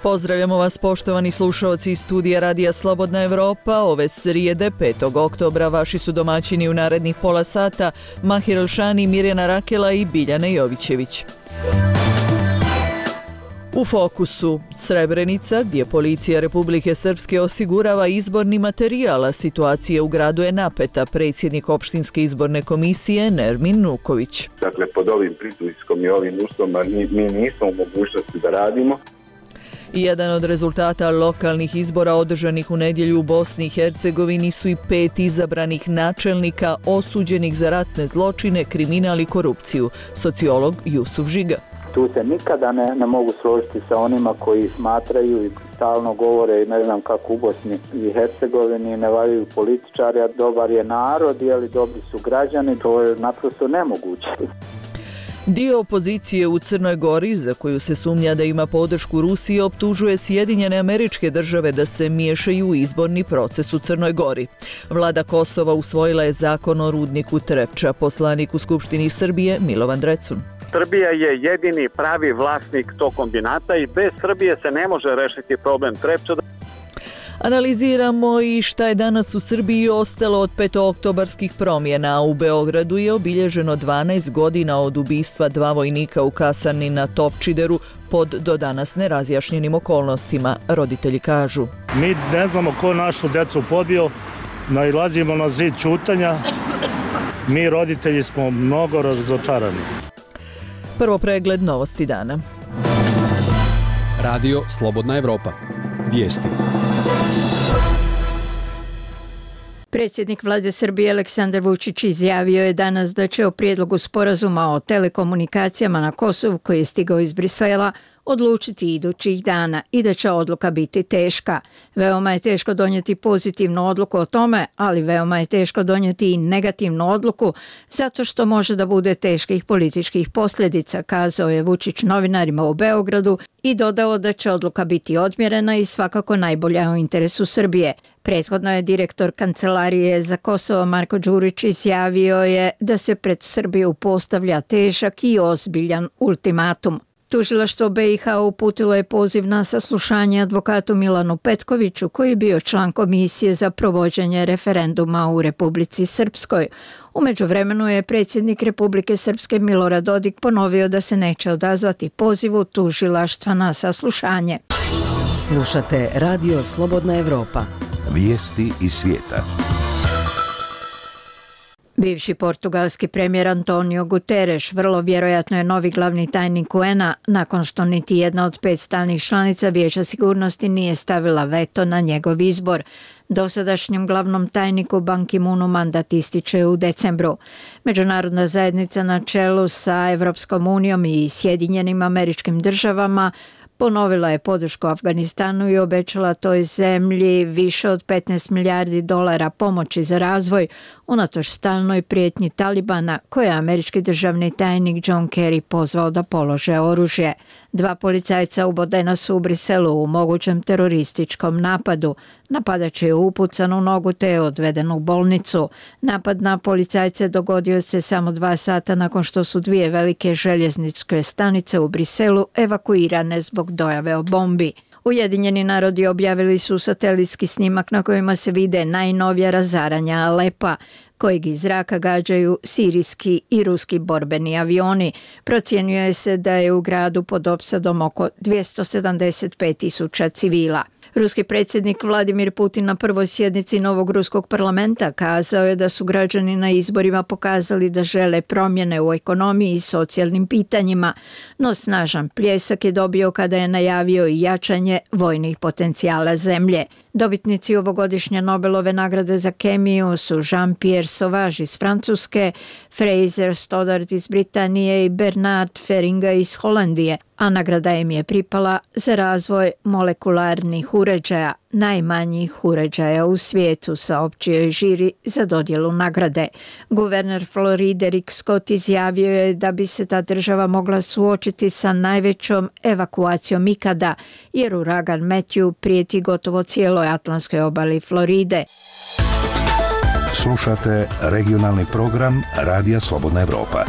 Pozdravljamo vas poštovani slušaoci iz studija Radija Slobodna Evropa. Ove srijede 5. oktobra vaši su domaćini u narednih pola sata Mahir Elšani, Mirjana Rakela i Biljana Jovićević. U fokusu Srebrenica, gdje policija Republike Srpske osigurava izborni materijal, a situacija u gradu je napeta. Predsjednik opštinske izborne komisije Nermin Nuković. Dakle, pod ovim pritiskom i ovim uslovima mi nismo u mogućnosti da radimo. Jedan od rezultata lokalnih izbora održanih u nedjelju u Bosni i Hercegovini su i 5 izabranih načelnika osuđenih za ratne zločine, kriminal i korupciju. Sociolog Jusuf Žiga. Tu se nikada ne mogu složiti sa onima koji smatraju i stalno govore, ne znam kako u Bosni i Hercegovini ne valjaju političari, a dobar je narod, jeli dobri su građani, to je naprosto nemoguće. Dio opozicije u Crnoj Gori, za koju se sumnja da ima podršku Rusije, optužuje Sjedinjene Američke Države da se miješaju u izborni proces u Crnoj Gori. Vlada Kosova usvojila je zakon o rudniku Trepča. Poslanik u Skupštini Srbije Milovan Drecun. Srbija je jedini pravi vlasnik tog kombinata i bez Srbije se ne može rešiti problem Trepča. Analiziramo i šta je danas u Srbiji ostalo od petooktobarskih promjena. U Beogradu je obilježeno 12 godina od ubistva 2 vojnika u kasarni na Topčideru pod do danas nerazjašnjenim okolnostima, roditelji kažu. Mi ne znamo ko našu djecu pobio, nailazimo na zid ćutanja, mi roditelji smo mnogo razočarani. Prvo pregled novosti dana. Radio Slobodna Evropa. Vijesti. Predsjednik Vlade Srbije Aleksandar Vučić izjavio je danas da će o prijedlogu sporazuma o telekomunikacijama na Kosovu koji je stigao iz Brisela odlučiti idućih dana i da će odluka biti teška. Veoma je teško donijeti pozitivnu odluku o tome, ali veoma je teško donijeti i negativnu odluku zato što može da bude teških političkih posljedica, kazao je Vučić novinarima u Beogradu i dodao da će odluka biti odmjerena i svakako najbolja u interesu Srbije. Prethodno je direktor Kancelarije za Kosovo Marko Đurić izjavio je da se pred Srbiju postavlja težak i ozbiljan ultimatum. Tužilaštvo BiH uputilo je poziv na saslušanje advokatu Milanu Petkoviću, koji je bio član komisije za provođenje referenduma u Republici Srpskoj. U međuvremenu je predsjednik Republike Srpske Milorad Dodik ponovio da se neće odazvati pozivu tužilaštva na saslušanje. Slušate Radio Slobodna Evropa. Vijesti iz svijeta. Bivši portugalski premijer Antonio Guterres vrlo vjerojatno je novi glavni tajnik UN-a nakon što niti jedna od 5 stalnih članica Vijeća sigurnosti nije stavila veto na njegov izbor. Dosadašnjem glavnom tajniku Ban Ki-moonu mandat ističe u decembru. Međunarodna zajednica na čelu sa Evropskom unijom i Sjedinjenim Američkim Državama ponovila je podršku Afganistanu i obećala toj zemlji više od 15 milijardi dolara pomoći za razvoj unatoč stalnoj prijetnji Talibana koje je američki državni tajnik John Kerry pozvao da polože oružje. 2 policajca ubodena su u Briselu u mogućem terorističkom napadu. Napadač je upucan u nogu te je odveden u bolnicu. Napad na policajce dogodio se samo 2 sata nakon što su 2 velike željezničke stanice u Briselu evakuirane zbog dojave o bombi. Ujedinjeni narodi objavili su satelitski snimak na kojima se vide najnovija razaranja Alepa, kojeg iz zraka gađaju sirijski i ruski borbeni avioni. Procjenjuje se da je u gradu pod opsadom oko 275.000 civila. Ruski predsjednik Vladimir Putin na prvoj sjednici novog ruskog parlamenta kazao je da su građani na izborima pokazali da žele promjene u ekonomiji i socijalnim pitanjima, no snažan pljesak je dobio kada je najavio i jačanje vojnih potencijala zemlje. Dobitnici ovogodišnje Nobelove nagrade za kemiju su Jean-Pierre Sauvage iz Francuske, Fraser Stoddart iz Britanije i Bernard Feringa iz Holandije, a nagrada im je pripala za razvoj molekularnih uređaja, najmanjih uređaja u svijetu, saopćio je žiri za dodjelu nagrade. Guverner Floride Rick Scott izjavio je da bi se ta država mogla suočiti sa najvećom evakuacijom ikada, jer uragan Matthew prijeti gotovo cijeloj atlantskoj obali Floride. Slušate regionalni program Radija Slobodna Evropa.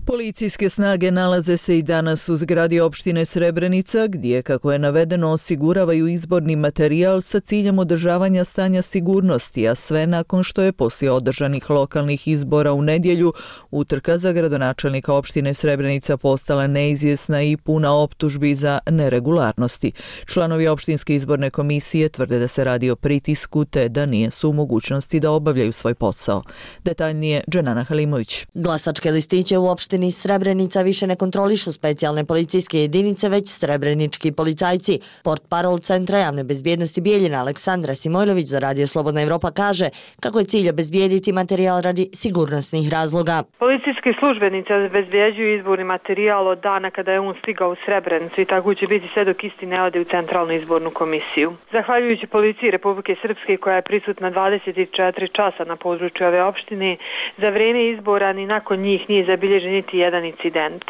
Policijske snage nalaze se i danas u zgradi opštine Srebrenica, gdje, kako je navedeno, osiguravaju izborni materijal sa ciljem održavanja stanja sigurnosti, a sve nakon što je poslije održanih lokalnih izbora u nedjelju utrka za gradonačelnika opštine Srebrenica postala neizvjesna i puna optužbi za neregularnosti. Članovi opštinske izborne komisije tvrde da se radi o pritisku te da nisu u mogućnosti da obavljaju svoj posao. Detaljnije Dženana Halimović. Glasačke listiće u opštini Srebrenica više ne kontrolišu specijalne policijske jedinice, već srebrenički policajci. Portparol Centra javne bezbjednosti Bijeljina Aleksandra Simojlović za Radio Slobodna Evropa kaže kako je cilj obezbijediti materijal radi sigurnosnih razloga. Policijski službenici obezbjeđuju izborni materijal od dana kada je on stigao u Srebrenicu i tako će biti sve dok isti ne ode u Centralnu izbornu komisiju. Zahvaljujući policiji Republike Srpske koja je prisutna 24 časa na području ove opštine, za vrijeme izbora ni nakon njih nije zabilježen niti jedan incident.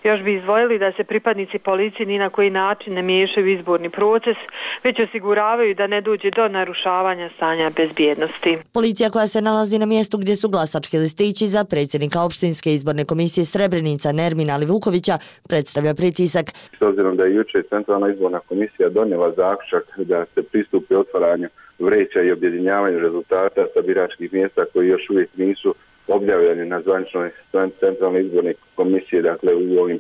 Još bi izdvojili da se pripadnici policije ni na koji način ne miješaju u izborni proces, već osiguravaju da ne dođe do narušavanja stanja bezbjednosti. Policija koja se nalazi na mjestu gdje su glasački listići za predsjednika opštinske izborne komisije Srebrenica Nermina Livukovića predstavlja pritisak. S obzirom da je jučer Centralna izborna komisija donijela zaključak da se pristupi otvaranju vreća i objedinjavanju rezultata sa biračkih mjesta koji još uvijek nisu objavljeni na zvaničnoj Centralnoj izbornoj komisiji, dakle u ovim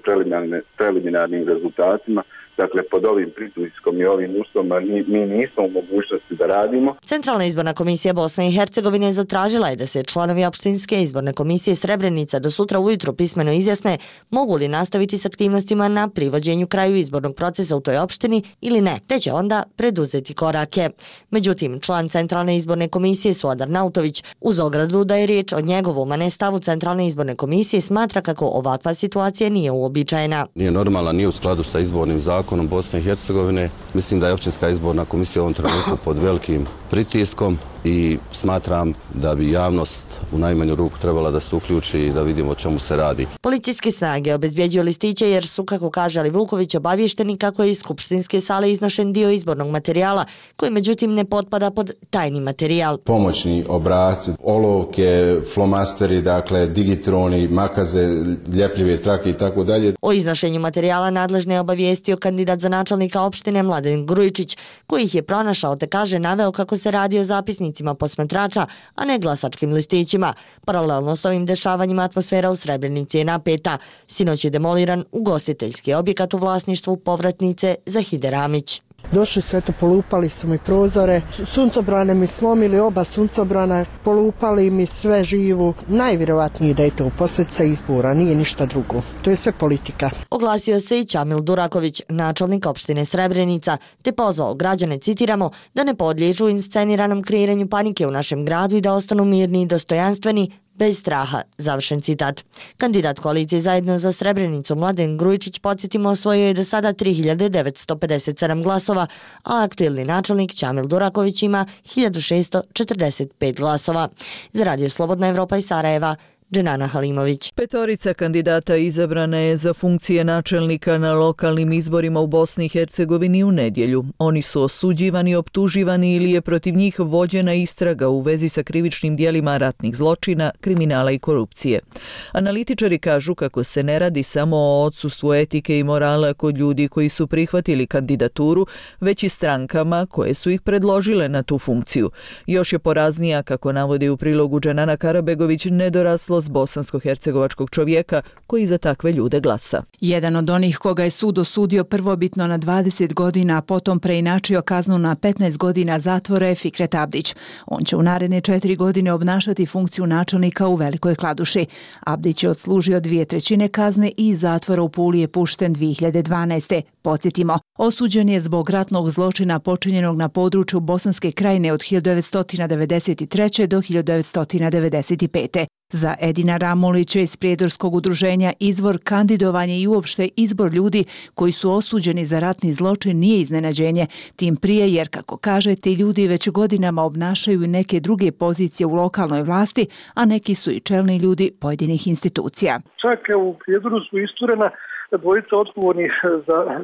preliminarnim rezultatima. Dakle, pod ovim pritiskom i ovim uslovima mi nismo u mogućnosti da radimo. Centralna izborna komisija Bosne i Hercegovine zatražila je da se članovi opštinske izborne komisije Srebrenica do sutra ujutro pismeno izjasne mogu li nastaviti s aktivnostima na privođenju kraju izbornog procesa u toj opštini ili ne, te će onda preduzeti korake. Međutim, član Centralne izborne komisije Suadar Nautović uz ogradu da je riječ o njegovom, a ne stavu Centralne izborne komisije, smatra kako ovakva situacija nije uobičajena. Nije normalna, nije u skladu sa izbornim zakonom Bosne i Hercegovine. Mislim da je općinska izborna komisija u ovom trenutku pod velikim pritiskom i smatram da bi javnost u najmanju ruku trebala da se uključi i da vidimo o čemu se radi. Policijske snage obezbjeđuju listiće jer su, kako kaže Livuković, obavješteni kako je iz skupštinske sale iznošen dio izbornog materijala koji međutim ne potpada pod tajni materijal. Pomoćni obrasci, olovke, flomasteri, dakle digitroni, makaze, ljepljive trake i tako dalje. O iznošenju materijala nadležne je obavijestio kandidat za načelnika opštine Mladen Grujičić, koji ih je pronašao te kaže naveo kako se radi o zapisnicima posmatrača, a ne glasačkim listićima. Paralelno s ovim dešavanjima atmosfera u Srebrenici je napeta. Sinoć je demoliran ugostiteljski objekat u vlasništvu povratnice Zahide Ramić. Došli su, eto, polupali su mi prozore, suncobrane mi slomili, oba suncobrana, polupali mi sve živu. Najvjerovatnije da je to posljedica izbora, nije ništa drugo. To je sve politika. Oglasio se i Čamil Duraković, načelnik opštine Srebrenica, te pozvao građane, citiramo, da ne podliježu insceniranom kreiranju panike u našem gradu i da ostanu mirni i dostojanstveni, bez straha, završen citat. Kandidat koalicije Zajedno za Srebrenicu Mladen Grujičić, podsjetimo, osvojio je do sada 3957 glasova, a aktuelni načelnik Čamil Duraković ima 1645 glasova. Za Radio Slobodna Evropa iz Sarajeva, Dženana Halimović. Petorica kandidata izabrana je za funkcije načelnika na lokalnim izborima u Bosni i Hercegovini u nedjelju. Oni su osuđivani, optuživani ili je protiv njih vođena istraga u vezi sa krivičnim dijelima ratnih zločina, kriminala i korupcije. Analitičari kažu kako se ne radi samo o odsustvu etike i morala kod ljudi koji su prihvatili kandidaturu, već i strankama koje su ih predložile na tu funkciju. Još je poraznija, kako navodi u prilogu Dženana Karabegović, nedoraslo bosansko-hercegovačkog čovjeka koji za takve ljude glasa. Jedan od onih koga je sud osudio prvobitno na 20 godina, a potom preinačio kaznu na 15 godina zatvora je Fikret Abdić. On će u naredne 4 godine obnašati funkciju načelnika u Velikoj Kladuši. Abdić je odslužio 2/3 kazne i iz zatvora u Puli je pušten 2012. Podsjetimo, osuđen je zbog ratnog zločina počinjenog na području Bosanske Krajine od 1993. do 1995. Za Edina Ramulića iz Prijedorskog udruženja Izvor, kandidovanje i uopšte izbor ljudi koji su osuđeni za ratni zločin nije iznenađenje, tim prije jer, kako kaže, ti ljudi već godinama obnašaju neke druge pozicije u lokalnoj vlasti, a neki su i čelni ljudi pojedinih institucija. Čak u Prijedoru su isturena dvojica odgovornih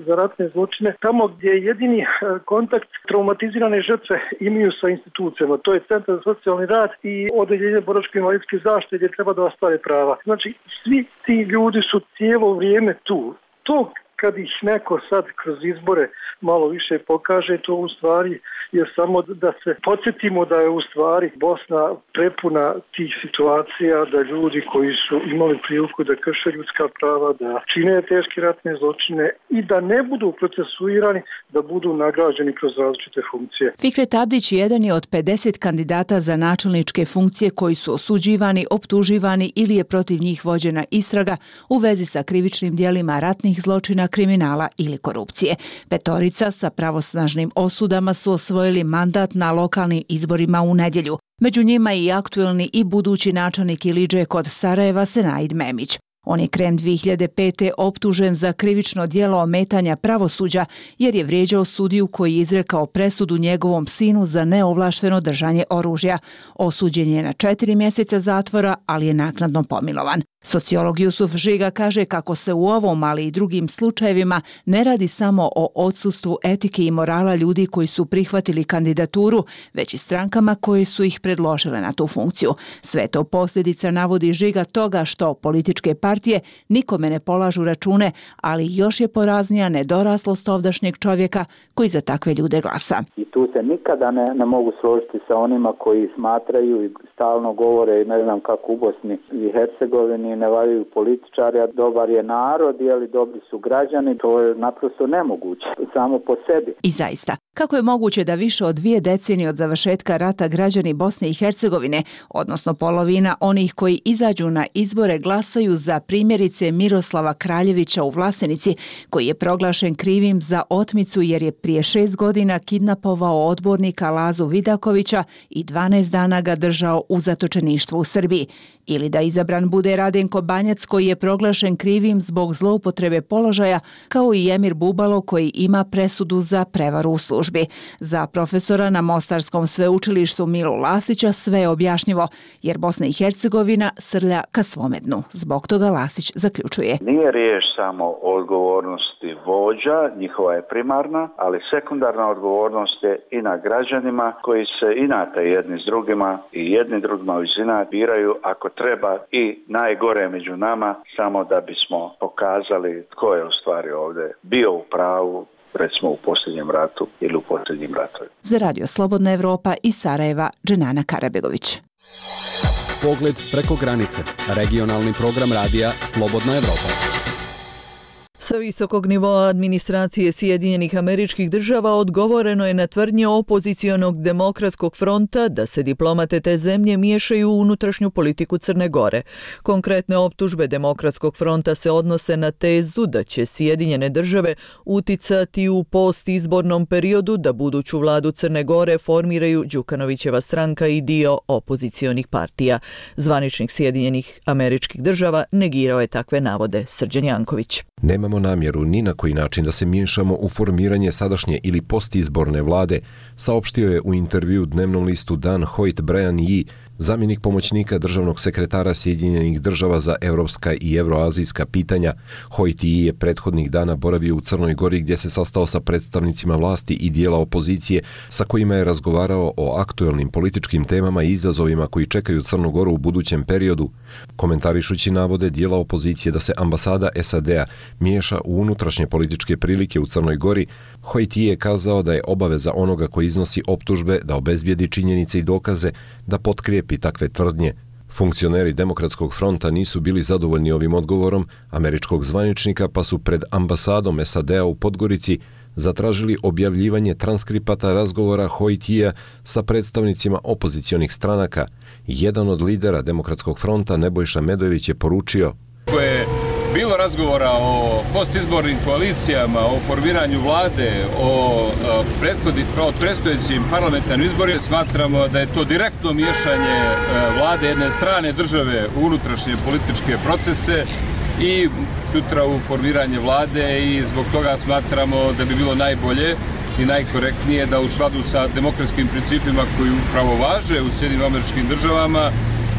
za ratne zločine, tamo gdje jedini kontakt traumatizirane žrtve imaju sa institucijama. To je Centar za socijalni rad i Odeljenje boračko-invalidske zaštite gdje treba da ostvare prava. Znači, svi ti ljudi su cijelo vrijeme tu. To kad ih neko sad kroz izbore malo više pokaže, to u stvari je samo da se podsjetimo da je u stvari Bosna prepuna tih situacija, da ljudi koji su imali priliku da krše ljudska prava, da čine teške ratne zločine i da ne budu procesuirani, da budu nagrađeni kroz različite funkcije. Fikret Abdić jedan je od 50 kandidata za načelničke funkcije koji su osuđivani, optuživani ili je protiv njih vođena istraga u vezi sa krivičnim djelima ratnih zločina, kriminala ili korupcije. Petorica sa pravosnažnim osudama su osvojili mandat na lokalnim izborima u nedjelju. Među njima i aktuelni i budući načelnik Ilidže kod Sarajeva Senaid Memić. On je krajem 2005. optužen za krivično djelo ometanja pravosuđa jer je vrijeđao sudiju koji je izrekao presudu njegovom sinu za neovlašteno držanje oružja. Osuđen je na 4 mjeseca zatvora, ali je naknadno pomilovan. Sociolog Jusuf Žiga kaže kako se u ovom, ali i drugim slučajevima ne radi samo o odsustvu etike i morala ljudi koji su prihvatili kandidaturu, već i strankama koje su ih predložile na tu funkciju. Sve to posljedica, navodi Žiga, toga što političke partije nikome ne polažu račune, ali još je poraznija nedoraslost ovdašnjeg čovjeka koji za takve ljude glasa. I tu se nikada ne mogu složiti sa onima koji smatraju i stalno govore, ne znam kako u Bosni i Hercegovini, ne valjaju političari, a dobar je narod, jeli dobri su građani, to je naprosto nemoguće, samo po sebi. I zaista, kako je moguće da više od 2 decenije od završetka rata građani Bosne i Hercegovine, odnosno polovina onih koji izađu na izbore, glasaju za primjerice Miroslava Kraljevića u Vlasenici, koji je proglašen krivim za otmicu jer je prije 6 godina kidnapovao odbornika Lazu Vidakovića i 12 dana ga držao u zatočeništvu u Srbiji. Ili da izabran bude Radenko Banjac koji je proglašen krivim zbog zloupotrebe položaja, kao i Emir Bubalo koji ima presudu za prevaru u službi. Za profesora na Mostarskom sveučilištu Milu Lasića sve je objašnjivo, jer Bosna i Hercegovina srlja ka svome dnu. Zbog toga Lasić zaključuje. Nije riječ samo o odgovornosti vođa, njihova je primarna, ali sekundarna odgovornost je i na građanima koji se inate jedni s drugima i jedni drugima iz inata biraju ako treba i najgore među nama, samo da bismo pokazali tko je u stvari ovdje bio u pravu, recimo u posljednjem ratu ili u posljednjim ratovima. Za Radio Slobodna Evropa iz Sarajeva, Dženana Karabegović. Pogled preko granice. Regionalni program radija Slobodna Evropa. Sa visokog nivoa administracije Sjedinjenih Američkih Država odgovoreno je na tvrdnje opozicionog Demokratskog fronta da se diplomate te zemlje miješaju u unutrašnju politiku Crne Gore. Konkretne optužbe Demokratskog fronta se odnose na tezu da će Sjedinjene Države uticati u postizbornom periodu da buduću vladu Crne Gore formiraju Đukanovićeva stranka i dio opozicionih partija. Zvaničnik Sjedinjenih Američkih Država negirao je takve navode. Srđan Janković. Nemamo namjeru ni na koji način da se miješamo u formiranje sadašnje ili postizborne vlade, saopštio je u intervju dnevnom listu Dan Hoyt Brian Yee, zamjenik pomoćnika državnog sekretara Sjedinjenih Država za evropska i evroazijska pitanja. Hoyt Yee je prethodnih dana boravio u Crnoj Gori gdje se sastao sa predstavnicima vlasti i dijela opozicije sa kojima je razgovarao o aktuelnim političkim temama i izazovima koji čekaju Crnu Goru u budućem periodu. Komentarišući navode dijela opozicije da se ambasada SAD-a miješa u unutrašnje političke prilike u Crnoj Gori, Hoyt Yee je kazao da je obaveza onoga koji iznosi optužbe da obezbijedi činjenice i dokaze da potkrijepi takve tvrdnje. Funkcioneri Demokratskog fronta nisu bili zadovoljni ovim odgovorom američkog zvaničnika, pa su pred ambasadom SAD-a u Podgorici zatražili objavljivanje transkripata razgovora Hoyt Yeea sa predstavnicima opozicionih stranaka. Jedan od lidera Demokratskog fronta, Nebojša Medojević, je poručio: bilo razgovora o postizbornim koalicijama, o formiranju vlade, o predstojećim parlamentarnim izborima, smatramo da je to direktno miješanje vlade jedne strane države u unutrašnje političke procese i sutra u formiranje vlade, i zbog toga smatramo da bi bilo najbolje i najkorektnije da u skladu sa demokratskim principima koji upravo važe u Sjedinjenim Američkim Državama,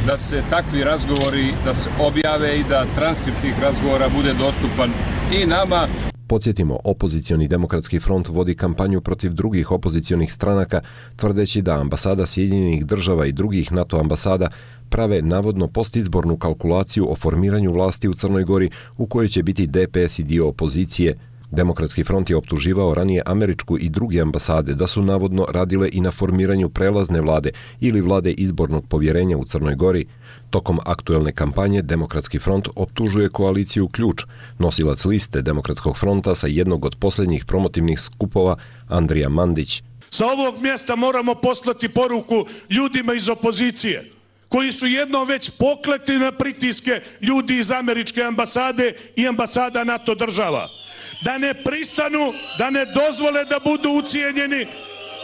da se takvi razgovori da se objave i da transkript tih razgovora bude dostupan i nama. Podsjetimo, opozicioni demokratski front vodi kampanju protiv drugih opozicionih stranaka, tvrdeći da ambasada Sjedinjenih država i drugih NATO ambasada prave navodno postizbornu kalkulaciju o formiranju vlasti u Crnoj Gori u kojoj će biti DPS i dio opozicije. Demokratski front je optuživao ranije američku i druge ambasade da su navodno radile i na formiranju prelazne vlade ili vlade izbornog povjerenja u Crnoj Gori. Tokom aktuelne kampanje Demokratski front optužuje koaliciju Ključ, nosilac liste Demokratskog fronta sa jednog od posljednjih promotivnih skupova Andrija Mandić. Sa ovog mjesta moramo poslati poruku ljudima iz opozicije, koji su jednom već poklekli na pritiske ljudi iz američke ambasade i ambasada NATO država. Da ne pristanu, da ne dozvole da budu ucijenjeni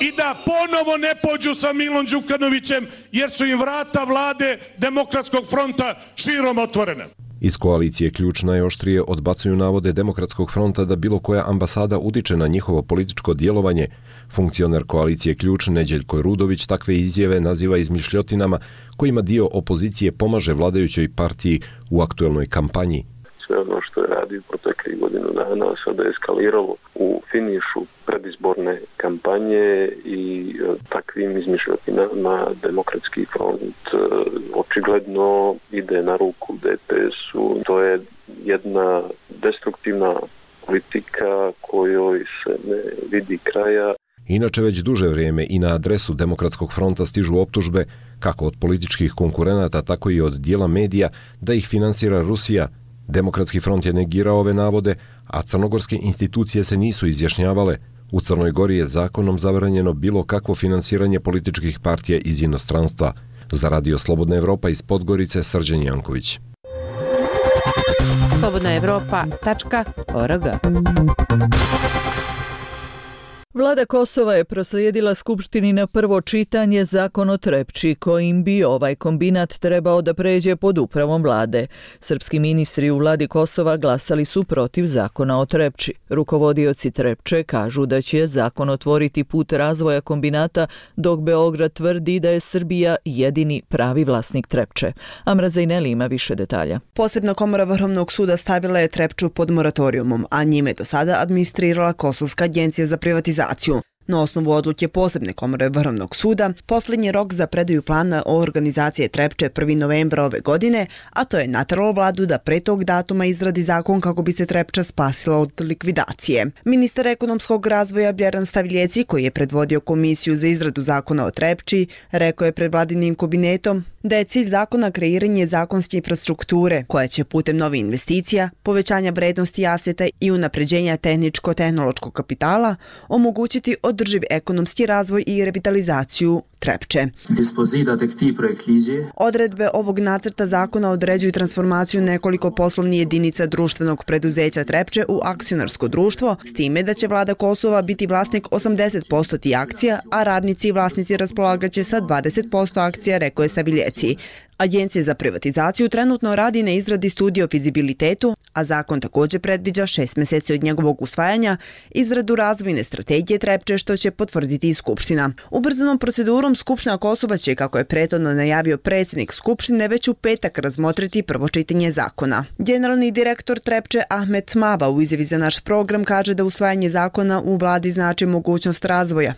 i da ponovo ne pođu sa Milom Đukanovićem, jer su im vrata vlade Demokratskog fronta širom otvorena. Iz koalicije Ključ najoštrije odbacuju navode Demokratskog fronta da bilo koja ambasada utiče na njihovo političko djelovanje. Funkcioner koalicije Ključ Neđeljko Rudović takve izjave naziva izmišljotinama kojima dio opozicije pomaže vladajućoj partiji u aktuelnoj kampanji. Sve ono što je radio proteklih godinu dana sada je eskaliralo u finišu predizborne kampanje i takvim izmišljotinama Demokratski front očigledno ide na ruku DPS-u. To je jedna destruktivna politika kojoj se ne vidi kraja. Inače već duže vrijeme i na adresu Demokratskog fronta stižu optužbe kako od političkih konkurenata, tako i od dijela medija da ih finansira Rusija. Demokratski front je negirao ove navode, a crnogorske institucije se nisu izjašnjavale. U Crnoj Gori je zakonom zabranjeno bilo kakvo finansiranje političkih partija iz inostranstva. Za Radio Slobodna Evropa iz Podgorice, Srđan Janković. slobodnaevropa.org. Vlada Kosova je proslijedila Skupštini na prvo čitanje zakon o Trepči, kojim bi ovaj kombinat trebao da pređe pod upravom vlade. Srpski ministri u vladi Kosova glasali su protiv zakona o Trepči. Rukovodioci Trepče kažu da će zakon otvoriti put razvoja kombinata, dok Beograd tvrdi da je Srbija jedini pravi vlasnik Trepče. Amra Zajneli ima više detalja. Posebna komora Vrhovnog suda stavila je Trepču pod moratorijumom, a njime do sada administrirala Kosovska agencija za privatizaciju. Na osnovu odluke posebne komore Vrhovnog suda, posljednji rok za predaju plana o organizaciji Trepče 1. novembra ove godine, a to je nateralo vladu da pre tog datuma izradi zakon kako bi se Trepča spasila od likvidacije. Ministar ekonomskog razvoja Bjeran Stavljeci, koji je predvodio komisiju za izradu zakona o Trepči, rekao je pred vladinim kabinetom da je cilj zakona kreiranje zakonske infrastrukture koja će putem novih investicija, povećanja vrednosti aseta i unapređenja tehničko-tehnološkog kapitala omogućiti održiv ekonomski razvoj i revitalizaciju Trepče. Odredbe ovog nacrta zakona određuju transformaciju nekoliko poslovnih jedinica društvenog preduzeća Trepče u akcionarsko društvo, s time da će vlada Kosova biti vlasnik 80% tih akcija, a radnici i vlasnici raspolagaće sa 20% akcija, rekao je Staviljeci. Agencija za privatizaciju trenutno radi na izradi studije o fizibilitetu, a zakon također predviđa 6 mjeseci od njegovog usvajanja izradu razvojne strategije Trepče, što će potvrditi i Skupština. Ubrzanom procedurom Skupština Kosova će, kako je prethodno najavio predsjednik Skupštine, već u petak razmotriti prvo čitanje zakona. Generalni direktor Trepče Ahmet Mava u izjavi za naš program kaže da usvajanje zakona u vladi znači mogućnost razvoja.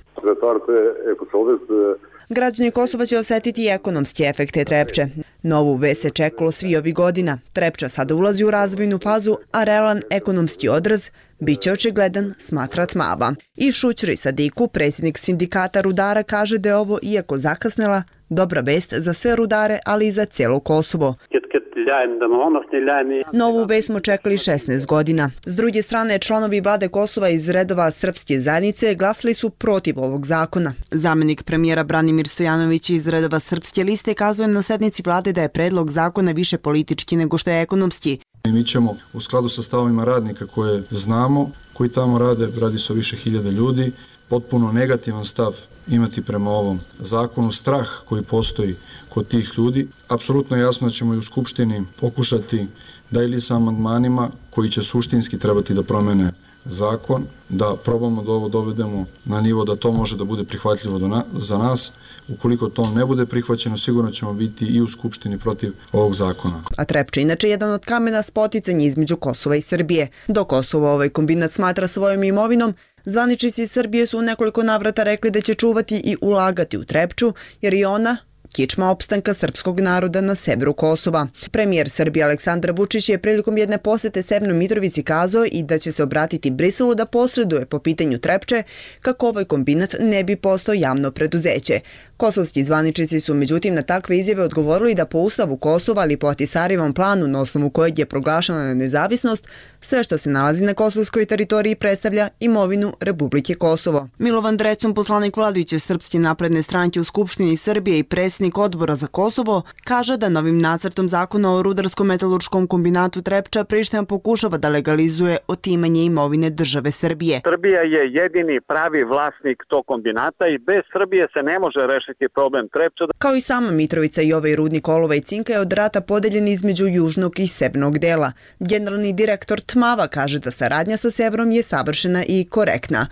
Građani Kosova će osjetiti i ekonomske efekte Trepče. Novu vest se čekalo svi ovih godina. Trepča sada ulazi u razvojnu fazu, a realan ekonomski odraz biće očigledan, smatra Tmava. I Šućri Sadiku, predsjednik sindikata rudara, kaže da je ovo, iako zakasnela, dobra vest za sve rudare, ali i za cijelo Kosovo. Novu vest smo čekali 16 godina. S druge strane, članovi vlade Kosova iz redova srpske zajednice glasali su protiv ovog zakona. Zamjenik premijera Branimir Stojanović iz redova srpske liste kazuje na sednici vlade da je predlog zakona više politički nego što je ekonomski. Mi ćemo u skladu sa stavovima radnika koje znamo, koji tamo radi se o više hiljada ljudi, potpuno negativan stav imati prema ovom zakonu, strah koji postoji kod tih ljudi. Apsolutno je jasno da ćemo i u Skupštini pokušati da ili sa amandmanima koji će suštinski trebati da promene zakon, da probamo da ovo dovedemo na nivo da to može da bude prihvatljivo za nas. Ukoliko to ne bude prihvaćeno, sigurno ćemo biti i u Skupštini protiv ovog zakona. A Trepča inače jedan od kamena spoticanja između Kosova i Srbije. Do Kosova ovaj kombinat smatra svojom imovinom, zvaničnici Srbije su u nekoliko navrata rekli da će čuvati i ulagati u Trepču, jer i ona kičma opstanka srpskog naroda na severu Kosova. Premijer Srbije Aleksandar Vučić je prilikom jedne posete Severnoj Mitrovici kazao i da će se obratiti Briselu da posreduje po pitanju Trepče kako ovaj kombinat ne bi postao javno preduzeće. Kosovski zvaničnici su međutim na takve izjave odgovorili da po ustavu Kosova ali po Ahtisarijevom planu na osnovu kojeg je proglašena nezavisnost, sve što se nalazi na kosovskoj teritoriji predstavlja imovinu Republike Kosovo. Milovan Drecun, poslanik vladajuće Srpske napredne stranke u Skupštini Srbije i predsjednik odbora za Kosovo, kaže da novim nacrtom zakona o rudarsko-metalurškom kombinatu Trepča Priština pokušava da legalizuje otimanje imovine države Srbije. Srbija je jedini pravi vlasnik tog kombinata i bez Srbije se ne može rešiti problem Trepča. Kao i sama Mitrovica i ovaj rudnik olova i cinka je od rata podeljen između južnog i severnog dela. Generalni direktor Tmava kaže da saradnja sa severom je savršena i korektna.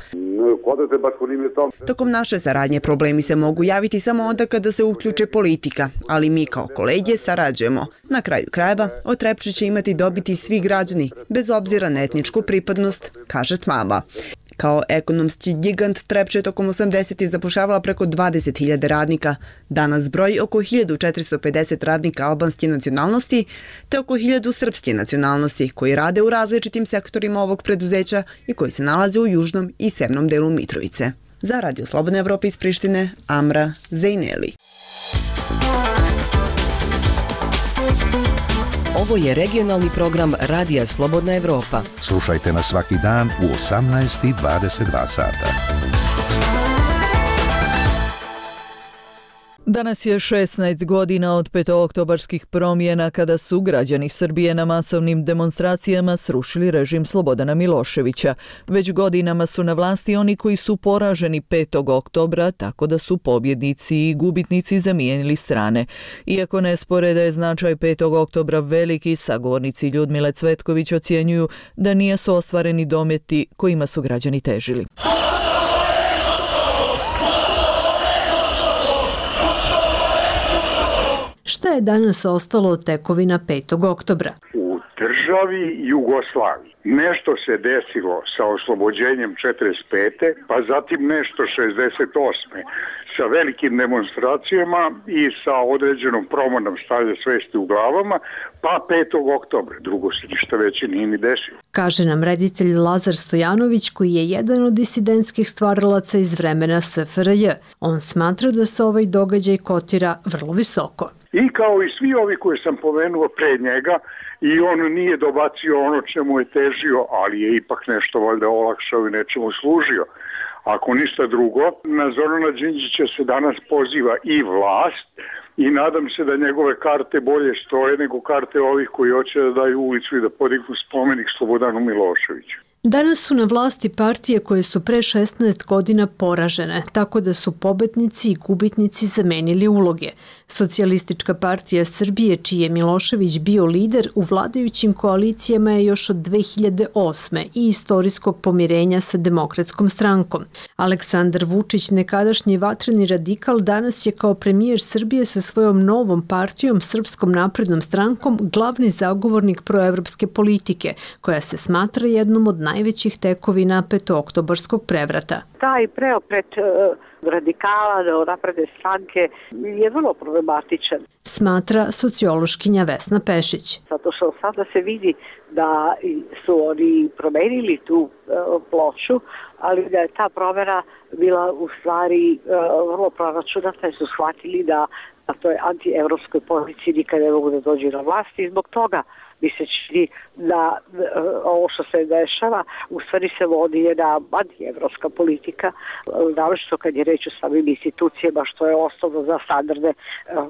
Tokom naše saradnje problemi se mogu javiti samo onda kada se uključe politika, ali mi kao kolege sarađujemo. Na kraju krajeva, od Trepče će imati dobiti svi građani, bez obzira na etničku pripadnost, kaže Tmava. Kao ekonomski gigant Trepča je tokom 80. zapošljavala preko 20.000 radnika. Danas broji oko 1450 radnika albanske nacionalnosti te oko 1000 srpske nacionalnosti koji rade u različitim sektorima ovog preduzeća i koji se nalaze u južnom i severnom delu Mitrovice. Za Radio Slobodna Evropa iz Prištine, Amra Zejneli. Ovo je regionalni program Radija Slobodna Evropa. Slušajte nas svaki dan u 18:22 sata. Danas je 16 godina od petooktobarskih promjena kada su građani Srbije na masovnim demonstracijama srušili režim Slobodana Miloševića. Već godinama su na vlasti oni koji su poraženi 5. oktobra, tako da su pobjednici i gubitnici zamijenili strane. Iako ne spore da je značaj 5. oktobra veliki, sagovornici Ljudmile Cvetković ocjenjuju da nisu ostvareni dometi kojima su građani težili. Šta je danas ostalo od tekovina 5. oktobra? U državi Jugoslaviji nešto se desilo sa oslobođenjem 45. pa zatim nešto 68. sa velikim demonstracijama i sa određenom promenom stanja svesti u glavama, pa 5. oktobra. Drugo se ništa veće nije ni desilo. Kaže nam reditelj Lazar Stojanović, koji je jedan od disidentskih stvaralaca iz vremena SFRJ. On smatra da se ovaj događaj kotira vrlo visoko. I kao i svi ovi koje sam pomenuo pre njega, i on nije dobacio ono čemu je težio, ali je ipak nešto valjda olakšao i nečemu služio. Ako ništa drugo, na Zorana Đinđića se danas poziva i vlast i nadam se da njegove karte bolje stoje nego karte ovih koji hoće da daju ulicu i da podignu spomenik Slobodanu Miloševiću. Danas su na vlasti partije koje su pre 16 godina poražene, tako da su pobednici i gubitnici zamenili uloge. Socijalistička partija Srbije, čiji je Milošević bio lider u vladajućim koalicijama je još od 2008. i istorijskog pomirenja sa Demokratskom strankom. Aleksandar Vučić, nekadašnji vatreni radikal, danas je kao premijer Srbije sa svojom novom partijom, Srpskom naprednom strankom, glavni zagovornik proevropske politike, koja se smatra jednom od najvećih tekovina petooktobarskog prevrata. Taj preokret radikala, napredne stranke je vrlo problematičan. Smatra sociološkinja Vesna Pešić. Zato što sada se vidi da su oni promenili tu ploču, ali da je ta promjena bila u stvari vrlo proračunata i su shvatili da to je anti-evropskoj policiji nikad ne mogu da dođu na vlasti i zbog toga mi se čini da ovo što se dešava u stvari se vodi jedna anti-evropska politika, naročito kad je reč o samim institucijama što je osnovno za standarde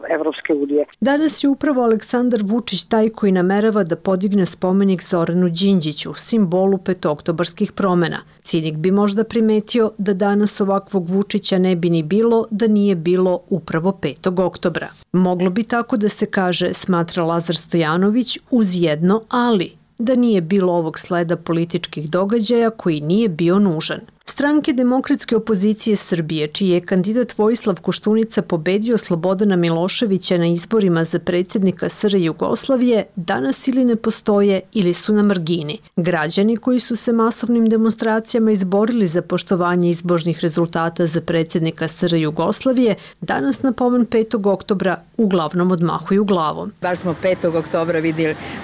Evropske unije. Danas je upravo Aleksandar Vučić taj koji namerava da podigne spomenik Zoranu Đinđiću, simbolu petooktobarskih promena. Cinik bi možda primetio da danas ovakvog Vučića ne bi ni bilo da nije bilo upravo 5. oktobra. Moglo bi tako da se kaže, smatra Lazar Stojanović, uz jedno ali. da nije bilo ovog sleda političkih događaja koji nije bio nužan. Stranke demokratske opozicije Srbije, čiji je kandidat Vojislav Koštunica pobedio Slobodana Miloševića na izborima za predsjednika SR Jugoslavije, danas ili ne postoje ili su na margini. Građani koji su se masovnim demonstracijama izborili za poštovanje izbornih rezultata za predsjednika SR Jugoslavije, danas na pomen 5. oktobra uglavnom odmahuju glavom. Bar smo 5. oktobra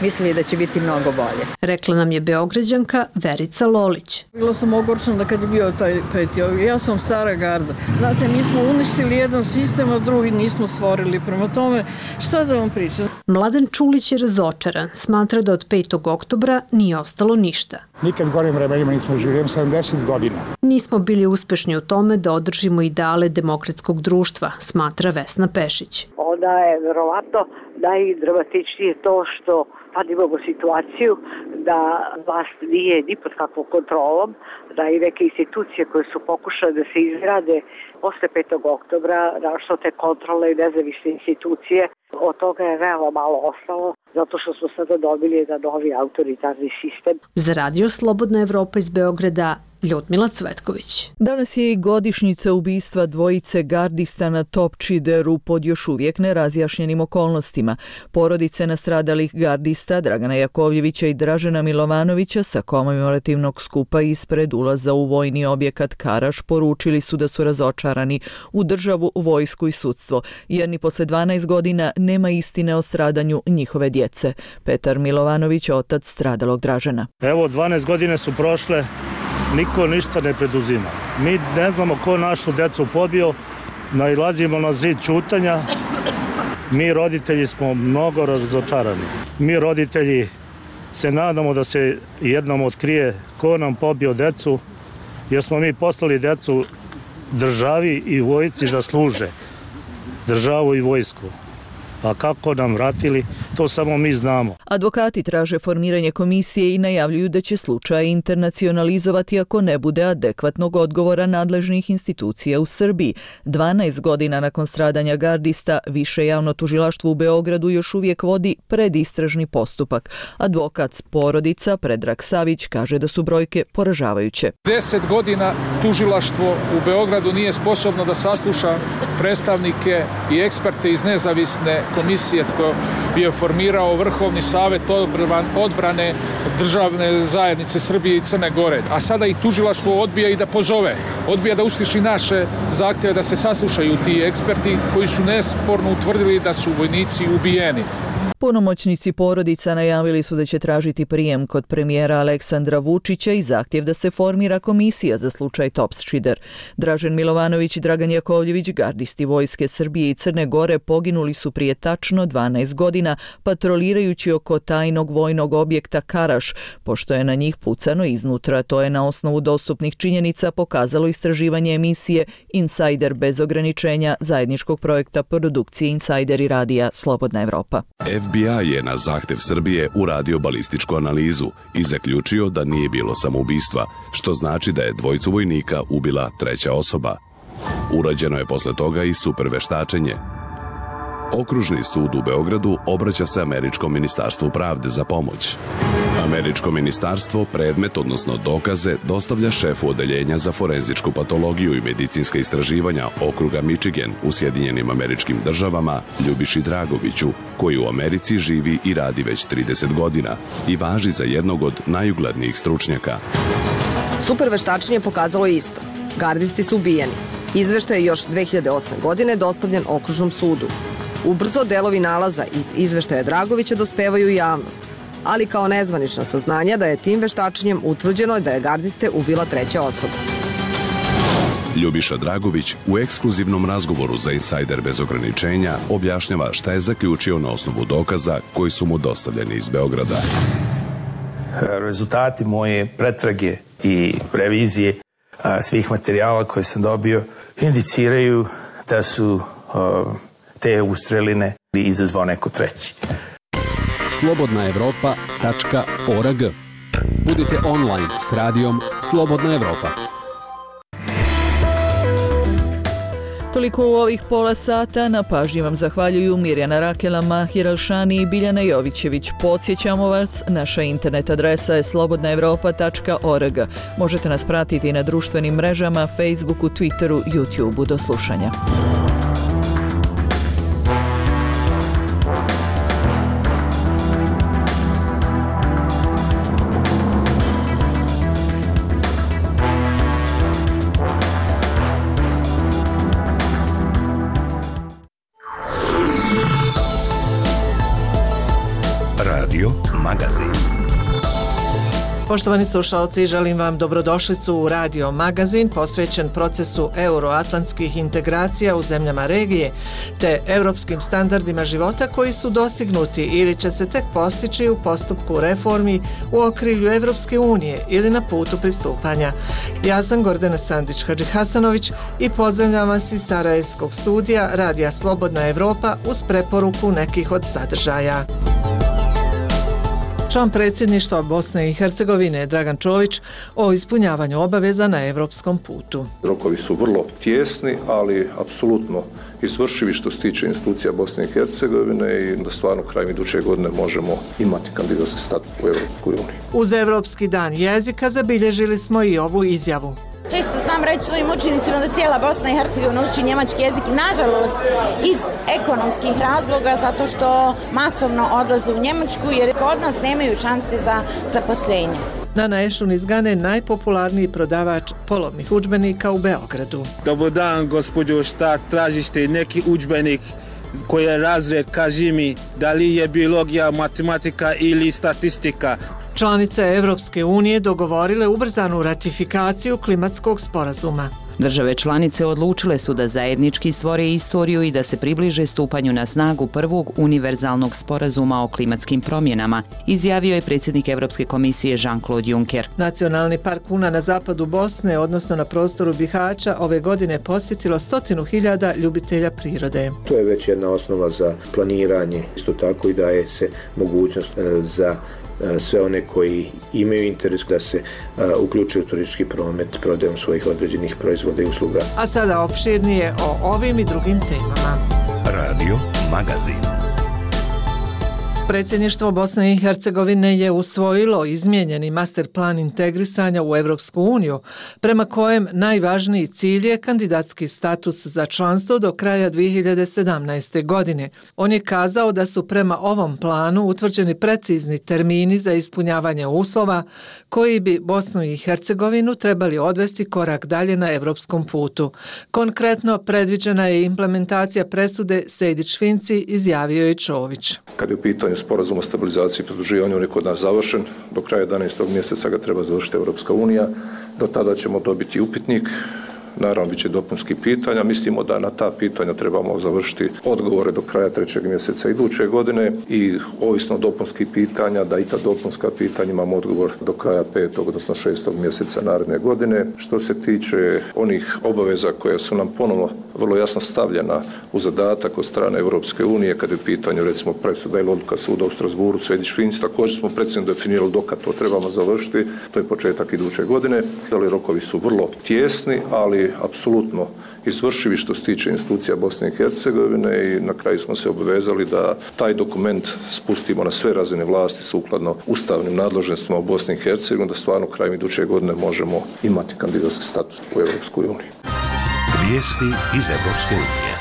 mislili da će biti mnogo bolje. Rekla nam je Beograđanka Verica Lolić. Bila sam ogorčena da kad je bio taj 5. Ja sam stara garda. Znate, mi smo uništili jedan sistem, a drugi nismo stvorili. Prema tome, šta da vam pričam? Mladen Čulić je razočaran. Smatra da od 5. oktobra nije ostalo ništa. Nikad gorim vremenima nismo živjeli 70 godina. Nismo bili uspešni u tome da održimo ideale demokratskog društva, smatra Vesna Pešić. Onda je verovatno najdramatičnije to što sad imamo situaciju da vlast nije ni pod kakvom kontrolom, da i neke institucije koje su pokušale da se izgrade posle 5. oktobra, našto te kontrole i nezavisne institucije, od toga je veoma malo ostalo, zato što smo sada dobili jedan novi autoritarni sistem. Za Radio Slobodna Evropa iz Beograda, Ljudmila Cvetković. Danas je i godišnjica ubistva dvojice gardista na Topčideru pod još uvijek nerazjašnjenim okolnostima. Porodice nastradalih gardista Dragana Jakovljevića i Dražena Milovanovića sa komemorativnog skupa ispred ulaza u vojni objekat Karaš poručili su da su razočarani u državu, vojsku i sudstvo, jer ni posle 12 godina nema istine o stradanju njihove djece. Petar Milovanović, otac stradalog Dražena. Evo, 12 godine su prošle, niko ništa ne preduzima. Mi ne znamo ko našu decu pobio, nailazimo na zid ćutanja. Mi roditelji smo mnogo razočarani. Mi roditelji se nadamo da se jednom otkrije ko nam pobio decu, jer smo mi poslali decu državi i vojsci da služe državu i vojsku. A kako nam vratili, to samo mi znamo. Advokati traže formiranje komisije i najavljuju da će slučaj internacionalizovati ako ne bude adekvatnog odgovora nadležnih institucija u Srbiji. 12 godina nakon stradanja gardista, Više javno tužilaštvo u Beogradu još uvijek vodi predistražni postupak. Advokat porodica Predrag Savić kaže da su brojke poražavajuće. 10 godina tužilaštvo u Beogradu nije sposobno da sasluša predstavnike i eksperte iz nezavisne komisije koju je formirao Vrhovni savjet odbrane državne zajednice Srbije i Crne Gore. A sada ih tužilaštvo odbija i da pozove. Odbija da usliši naše zahtjeve da se saslušaju ti eksperti koji su nesporno utvrdili da su vojnici ubijeni. Punomoćnici porodica najavili su da će tražiti prijem kod premijera Aleksandra Vučića i zahtjev da se formira komisija za slučaj Topčider. Dražen Milovanović i Dragan Jakovljević, gardisti Vojske Srbije i Crne Gore, poginuli su prije tačno 12 godina patrolirajući oko tajnog vojnog objekta Karaš, pošto je na njih pucano iznutra. To je na osnovu dostupnih činjenica pokazalo istraživanje emisije Insider bez ograničenja zajedničkog projekta produkcije Insider i radija Slobodna Evropa. FBI je na zahtev Srbije uradio balističku analizu i zaključio da nije bilo samoubistva, što znači da je dvojicu vojnika ubila treća osoba. Urađeno je posle toga i superveštačenje. Okružni sud u Beogradu obraća se Američkom ministarstvu pravde za pomoć. Američko ministarstvo predmet, odnosno dokaze, dostavlja šefu odeljenja za forenzičku patologiju i medicinska istraživanja okruga Michigan u Sjedinjenim Američkim Državama Ljubiši Dragoviću, koji u Americi živi i radi već 30 godina i važi za jednog od najuglednijih stručnjaka. Superveštačenje pokazalo isto. Gardisti su ubijeni. Izveštaj je još 2008. godine dostavljen Okružnom sudu. Ubrzo delovi nalaza iz izveštaja Dragovića dospevaju u javnost, ali kao nezvanična saznanja da je tim veštačenjem utvrđeno da je gardiste ubila treća osoba. Ljubiša Dragović u ekskluzivnom razgovoru za Insider bez ograničenja objašnjava šta je zaključio na osnovu dokaza koji su mu dostavljeni iz Beograda. Rezultati moje pretrage i revizije svih materijala koje sam dobio indiciraju da su te ustreline izazvao neko treći. slobodnaevropa.org. Budite online s radijom Slobodna Evropa. Toliko u ovih pola sata. Na pažnji vam zahvaljuju Mirjana Rakela, Mahir Alšani i Biljana Jovićević. Podsjećamo vas, naša internet adresa je slobodnaevropa.org. Možete nas pratiti na društvenim mrežama, Facebooku, Twitteru, YouTubeu. Do slušanja. Radio Magazin. Poštovani slušalci, želim vam dobrodošlicu u Radio Magazin posvećen procesu euroatlantskih integracija u zemljama regije te europskim standardima života koji su dostignuti ili će se tek postići u postupku reformi u okrilju Evropske unije ili na putu pristupanja. Ja sam Gordana Sandić-Hadžihasanović i pozdravljam vas iz Sarajevskog studija Radija Slobodna Evropa uz preporuku nekih od sadržaja. Član predsjedništva Bosne i Hercegovine Dragan Čović o ispunjavanju obaveza na evropskom putu. Rokovi su vrlo tjesni, ali apsolutno izvršivi što se tiče institucija Bosne i Hercegovine i da stvarno krajem iduće godine možemo imati kandidatski status u Evropskoj uniji. Uz Evropski dan jezika zabilježili smo i ovu izjavu. Često znam reći svojim učenicima da cijela Bosna i Hercegovina uči njemački jezik, nažalost iz ekonomskih razloga, zato što masovno odlaze u Njemačku jer kod nas nemaju šanse za zaposlenje. Nana Ešun iz Gane, najpopularniji prodavač polovnih udžbenika u Beogradu. Dobar dan, gospođo, šta tražite neki udžbenik? Koji je razred, kaži mi, da li je biologija, matematika ili statistika? Članice Evropske unije dogovorile ubrzanu ratifikaciju klimatskog sporazuma. Države članice odlučile su da zajednički stvore istoriju i da se približe stupanju na snagu prvog univerzalnog sporazuma o klimatskim promjenama, izjavio je predsjednik Evropske komisije Jean-Claude Juncker. Nacionalni park Una na zapadu Bosne, odnosno na prostoru Bihaća, ove godine posjetilo 100.000 ljubitelja prirode. To je već jedna osnova za planiranje, isto tako i daje se mogućnost za sve one koji imaju interes da se uključe u turistički promet prodajom svojih određenih proizvoda i usluga. A sada opširnije o ovim i drugim temama. Radio Magazin. Predsjedništvo Bosne i Hercegovine je usvojilo izmijenjeni master plan integrisanja u Evropsku uniju, prema kojem najvažniji cilj je kandidatski status za članstvo do kraja 2017. godine. On je kazao da su prema ovom planu utvrđeni precizni termini za ispunjavanje uslova koji bi Bosnu i Hercegovinu trebali odvesti korak dalje na evropskom putu. Konkretno, predviđena je implementacija presude Sejdić-Finci, izjavio je Čović. Kad je u pitanju sporazum o stabilizaciji i pridruživanju, on je kod nas završen. Do kraja 11. mjeseca ga treba završiti Evropska unija. Do tada ćemo dobiti upitnik. Naravno, bit će dopunski pitanja. Mislimo da na ta pitanja trebamo završiti odgovore do kraja 3. mjeseca iduće godine i ovisno dopunskih pitanja, da i ta dopunska pitanja imamo odgovor do kraja 5. odnosno 6. mjeseca naredne godine. Što se tiče onih obaveza koje su nam ponovno vrlo jasno stavljena u zadatak od strane Evropske unije, kad je u pitanju recimo presuda ili odluka suda u Strasburu, Sejdić-Finci, također smo precizno definirali dokad to trebamo završiti, to je početak iduće godine. Ali rokovi su vrlo tjesni, ali apsolutno izvršivi što se tiče institucija Bosne i Hercegovine i na kraju smo se obvezali da taj dokument spustimo na sve razine vlasti sukladno ustavnim nadležnostima u Bosni i Hercegovini, da stvarno krajem iduće godine možemo imati kandidatski status u Evropskoj uniji. Vijesti iz Evropske unije.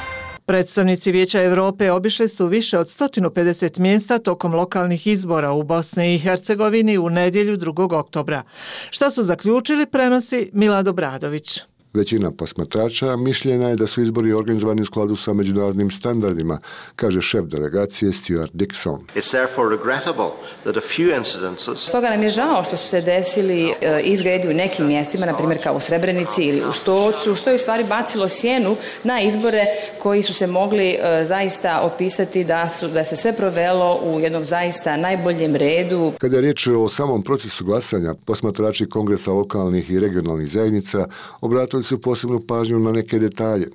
Predstavnici Vijeća Europe obišli su više od 150 mjesta tokom lokalnih izbora u Bosni i Hercegovini u nedjelju 2. oktobra. Šta su zaključili, prenosi Milado Bradović. Većina posmatrača mišljena je da su izbori organizovani u skladu sa međunarodnim standardima, kaže šef delegacije Stuart Dixon. Stoga nam je žao što su se desili izgredi u nekim mjestima, na primjer kao u Srebrenici ili u Stocu, što je u stvari bacilo sjenu na izbore koji su se mogli zaista opisati da se sve provelo u jednom zaista najboljem redu. Kada je riječ o samom procesu glasanja, posmatrači Kongresa lokalnih i regionalnih zajednica obratili obratili su posebnu pažnju na neke detalje.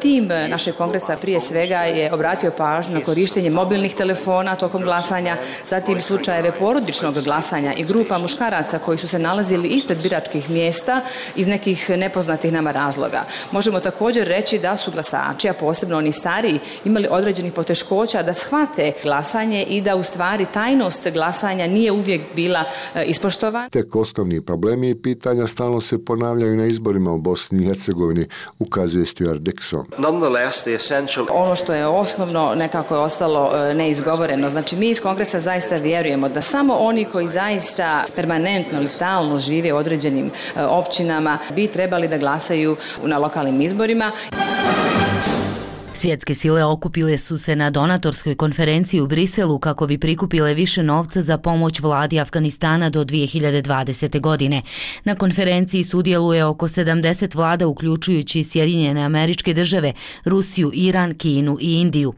Tim našeg kongresa prije svega je obratio pažnju na korištenje mobilnih telefona tokom glasanja, zatim slučajeve porodičnog glasanja i grupa muškaraca koji su se nalazili ispred biračkih mjesta iz nekih nepoznatih nama razloga. Možemo također reći da su glasači, a posebno oni stariji, imali određenih poteškoća da shvate glasanje i da u stvari tajnost glasanja nije uvijek bila ispoštovana. Tek osnovni problemi i pitanja stalno se ponavljaju na izborima u Bosni i Hercegovini, ukazuje Stuart Dixon. Ono što je osnovno nekako je ostalo neizgovoreno. Znači mi iz kongresa zaista vjerujemo da samo oni koji zaista permanentno ili stalno žive u određenim općinama bi trebali da glasaju na lokalnim izborima. Svjetske sile okupile su se na donatorskoj konferenciji u Briselu kako bi prikupile više novca za pomoć vladi Afganistana do 2020. godine. Na konferenciji sudjeluje oko 70 vlada uključujući Sjedinjene Američke Države, Rusiju, Iran, Kinu i Indiju.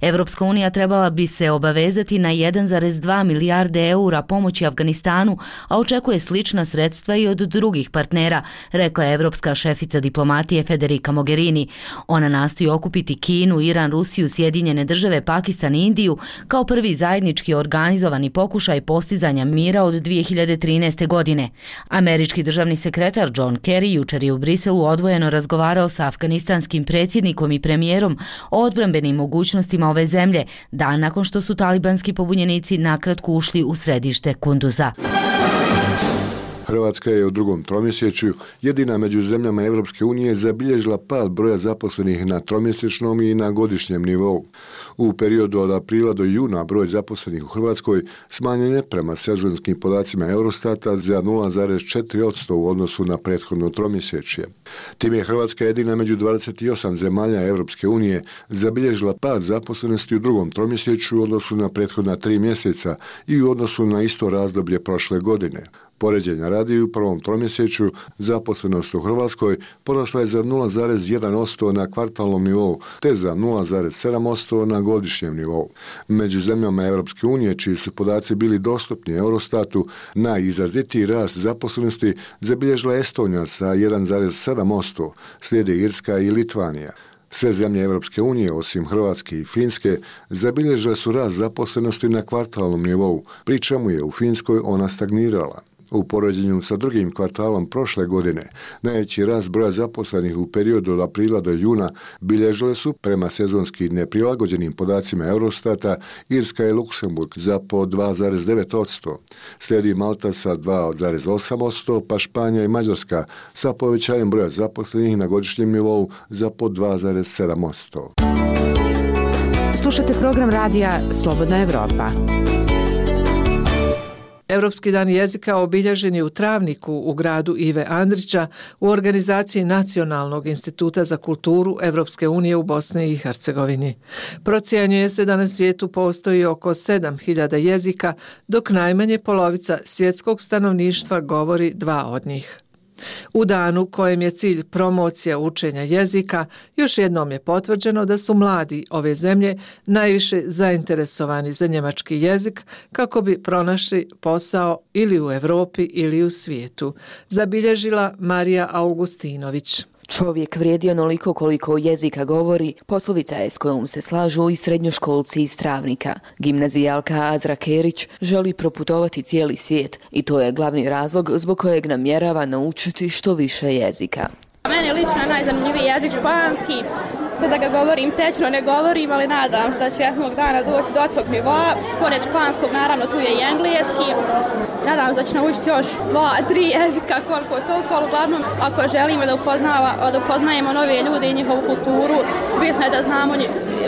Evropska unija trebala bi se obavezati na 1,2 milijarde eura pomoći Afganistanu, a očekuje slična sredstva i od drugih partnera, rekla je evropska šefica diplomatije Federica Mogherini. Ona nastoji okupiti Kinu, Iran, Rusiju, Sjedinjene Države, Pakistan i Indiju kao prvi zajednički organizovani pokušaj postizanja mira od 2013. godine. Američki državni sekretar John Kerry jučer je u Briselu odvojeno razgovarao sa afganistanskim predsjednikom i premijerom o odbrambenim mogućnostima ove zemlje, dan nakon što su talibanski pobunjenici nakratko ušli u središte Kunduza. Hrvatska je u drugom tromjesečju jedina među zemljama Evropske unije zabilježila pad broja zaposlenih na tromjesečnom i na godišnjem nivou. U periodu od aprila do juna broj zaposlenih u Hrvatskoj smanjen je prema sezonskim podacima Eurostata za 0,4% u odnosu na prethodno tromjesečje. Time je Hrvatska jedina među 28 zemalja Evropske unije zabilježila pad zaposlenosti u drugom tromjesečju u odnosu na prethodna 3 mjeseca i u odnosu na isto razdoblje prošle godine. Poređenja radi u prvom tromjesečju zaposlenost u Hrvatskoj porasla je za 0,1% na kvartalnom nivou te za 0,7% na godišnjem nivou. Među zemljama Evropske unije čiji su podaci bili dostupni Eurostatu, najizrazitiji rast zaposlenosti zabilježila Estonija sa 1,7%, slijede Irska i Litvanija. Sve zemlje Evropske unije, osim Hrvatske i Finske, zabilježile su rast zaposlenosti na kvartalnom nivou, pri čemu je u Finskoj ona stagnirala. U poređenju sa drugim kvartalom prošle godine, najveći rast broja zaposlenih u periodu od aprila do juna bilježile su, prema sezonski neprilagođenim podacima Eurostata, Irska i Luksemburg za po 2,9%. Slijedi Malta sa 2,8%, pa Španija i Mađarska sa povećanjem broja zaposlenih na godišnjem nivou za po 2,7%. Slušate program radija Slobodna Evropa. Europski dan jezika obilježen je u Travniku u gradu Ive Andrića u organizaciji Nacionalnog instituta za kulturu Evropske unije u Bosni i Hercegovini. Procjenjuje se da na svijetu postoji oko 7.000 jezika, dok najmanje polovica svjetskog stanovništva govori 2 od njih. U danu kojem je cilj promocija učenja jezika, još jednom je potvrđeno da su mladi ove zemlje najviše zainteresovani za njemački jezik kako bi pronašli posao ili u Europi ili u svijetu, zabilježila Marija Augustinović. Čovjek vrijedi onoliko koliko jezika govori, poslovica je s kojom se slažu i srednjoškolci iz Travnika. Gimnazijalka Azra Kerić želi proputovati cijeli svijet i to je glavni razlog zbog kojeg namjerava naučiti što više jezika. Meni lično je najzanimljiviji jezik španski. Sad da ga govorim tečno ne govorim, ali nadam se da ću jednog dana doći do tog nivoa. Pored španskog, naravno, tu je i engleski. Nadam se da ću naučiti još 2-3 jezika, koliko toliko, ali uglavnom, ako želimo da upoznajemo nove ljude i njihovu kulturu, bitno je da znamo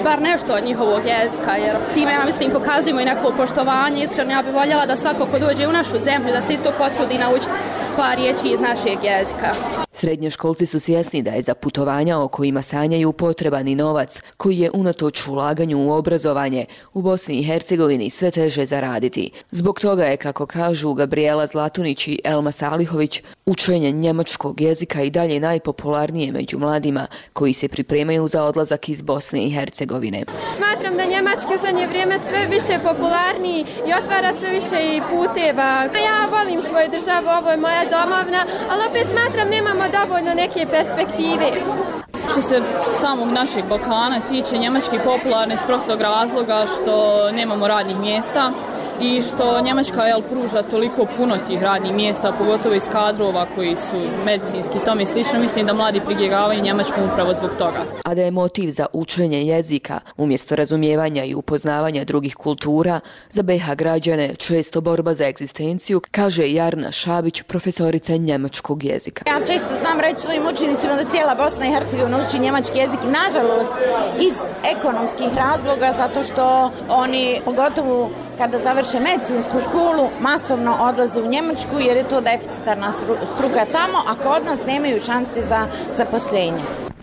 bar nešto od njihovog jezika, jer time, ja mislim, pokazujemo i neko poštovanje. Iskreno, ja bih voljela da svako ko dođe u našu zemlju, da se isto potrudi naučiti par riječi iz našeg jezika. Srednjoškolci su svjesni da je za putovanja o kojima sanjaju potreban i novac, koji je unatoč ulaganju u obrazovanje u Bosni i Hercegovini sve teže zaraditi. Zbog toga je, kako kažu Gabriela Zlatunić i Elma Salihović, Učenje njemačkog jezika i dalje najpopularnije među mladima koji se pripremaju za odlazak iz Bosne i Hercegovine. Smatram da njemački u zadnje vrijeme sve više popularniji i otvara sve više i puteva. Ja volim svoju državu, ovo je moja domovina, ali opet smatram nemamo dovoljno neke perspektive. Što se samog našeg Balkana tiče, njemački popularni iz prostog razloga što nemamo radnih mjesta i što Njemačka pruža toliko puno tih radnih mjesta, pogotovo iz kadrova koji su medicinski i tome slično. Mislim da mladi pribjegavaju Njemačkom upravo zbog toga. A da je motiv za učenje jezika umjesto razumijevanja i upoznavanja drugih kultura za BiH građane često borba za egzistenciju, kaže Jarna Šabić, profesorica njemačkog jezika. Ja često znam reći svojim učenicima da cijela Bosna i Hercegovina uči njemački jezik, nažalost iz ekonomskih razloga, zato što oni, pogotovo kada završe medicinsku školu, masovno odlaze u Njemačku jer je to deficitarna struka tamo, a kod nas nemaju šanse za zaposlenje.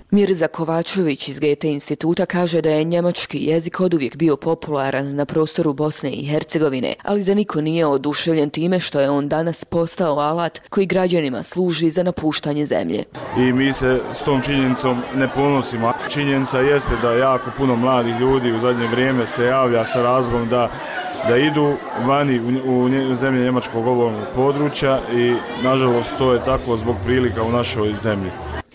Mirza Kovačević iz Goethe instituta kaže da je njemački jezik oduvijek bio popularan na prostoru Bosne i Hercegovine, ali da niko nije oduševljen time što je on danas postao alat koji građanima služi za napuštanje zemlje. I mi se s tom činjenicom ne ponosimo. Činjenica jeste da jako puno mladih ljudi u zadnje vrijeme se javlja sa razlogom da idu vani u zemlje njemačkog govornog područja i nažalost to je tako zbog prilika u našoj zemlji.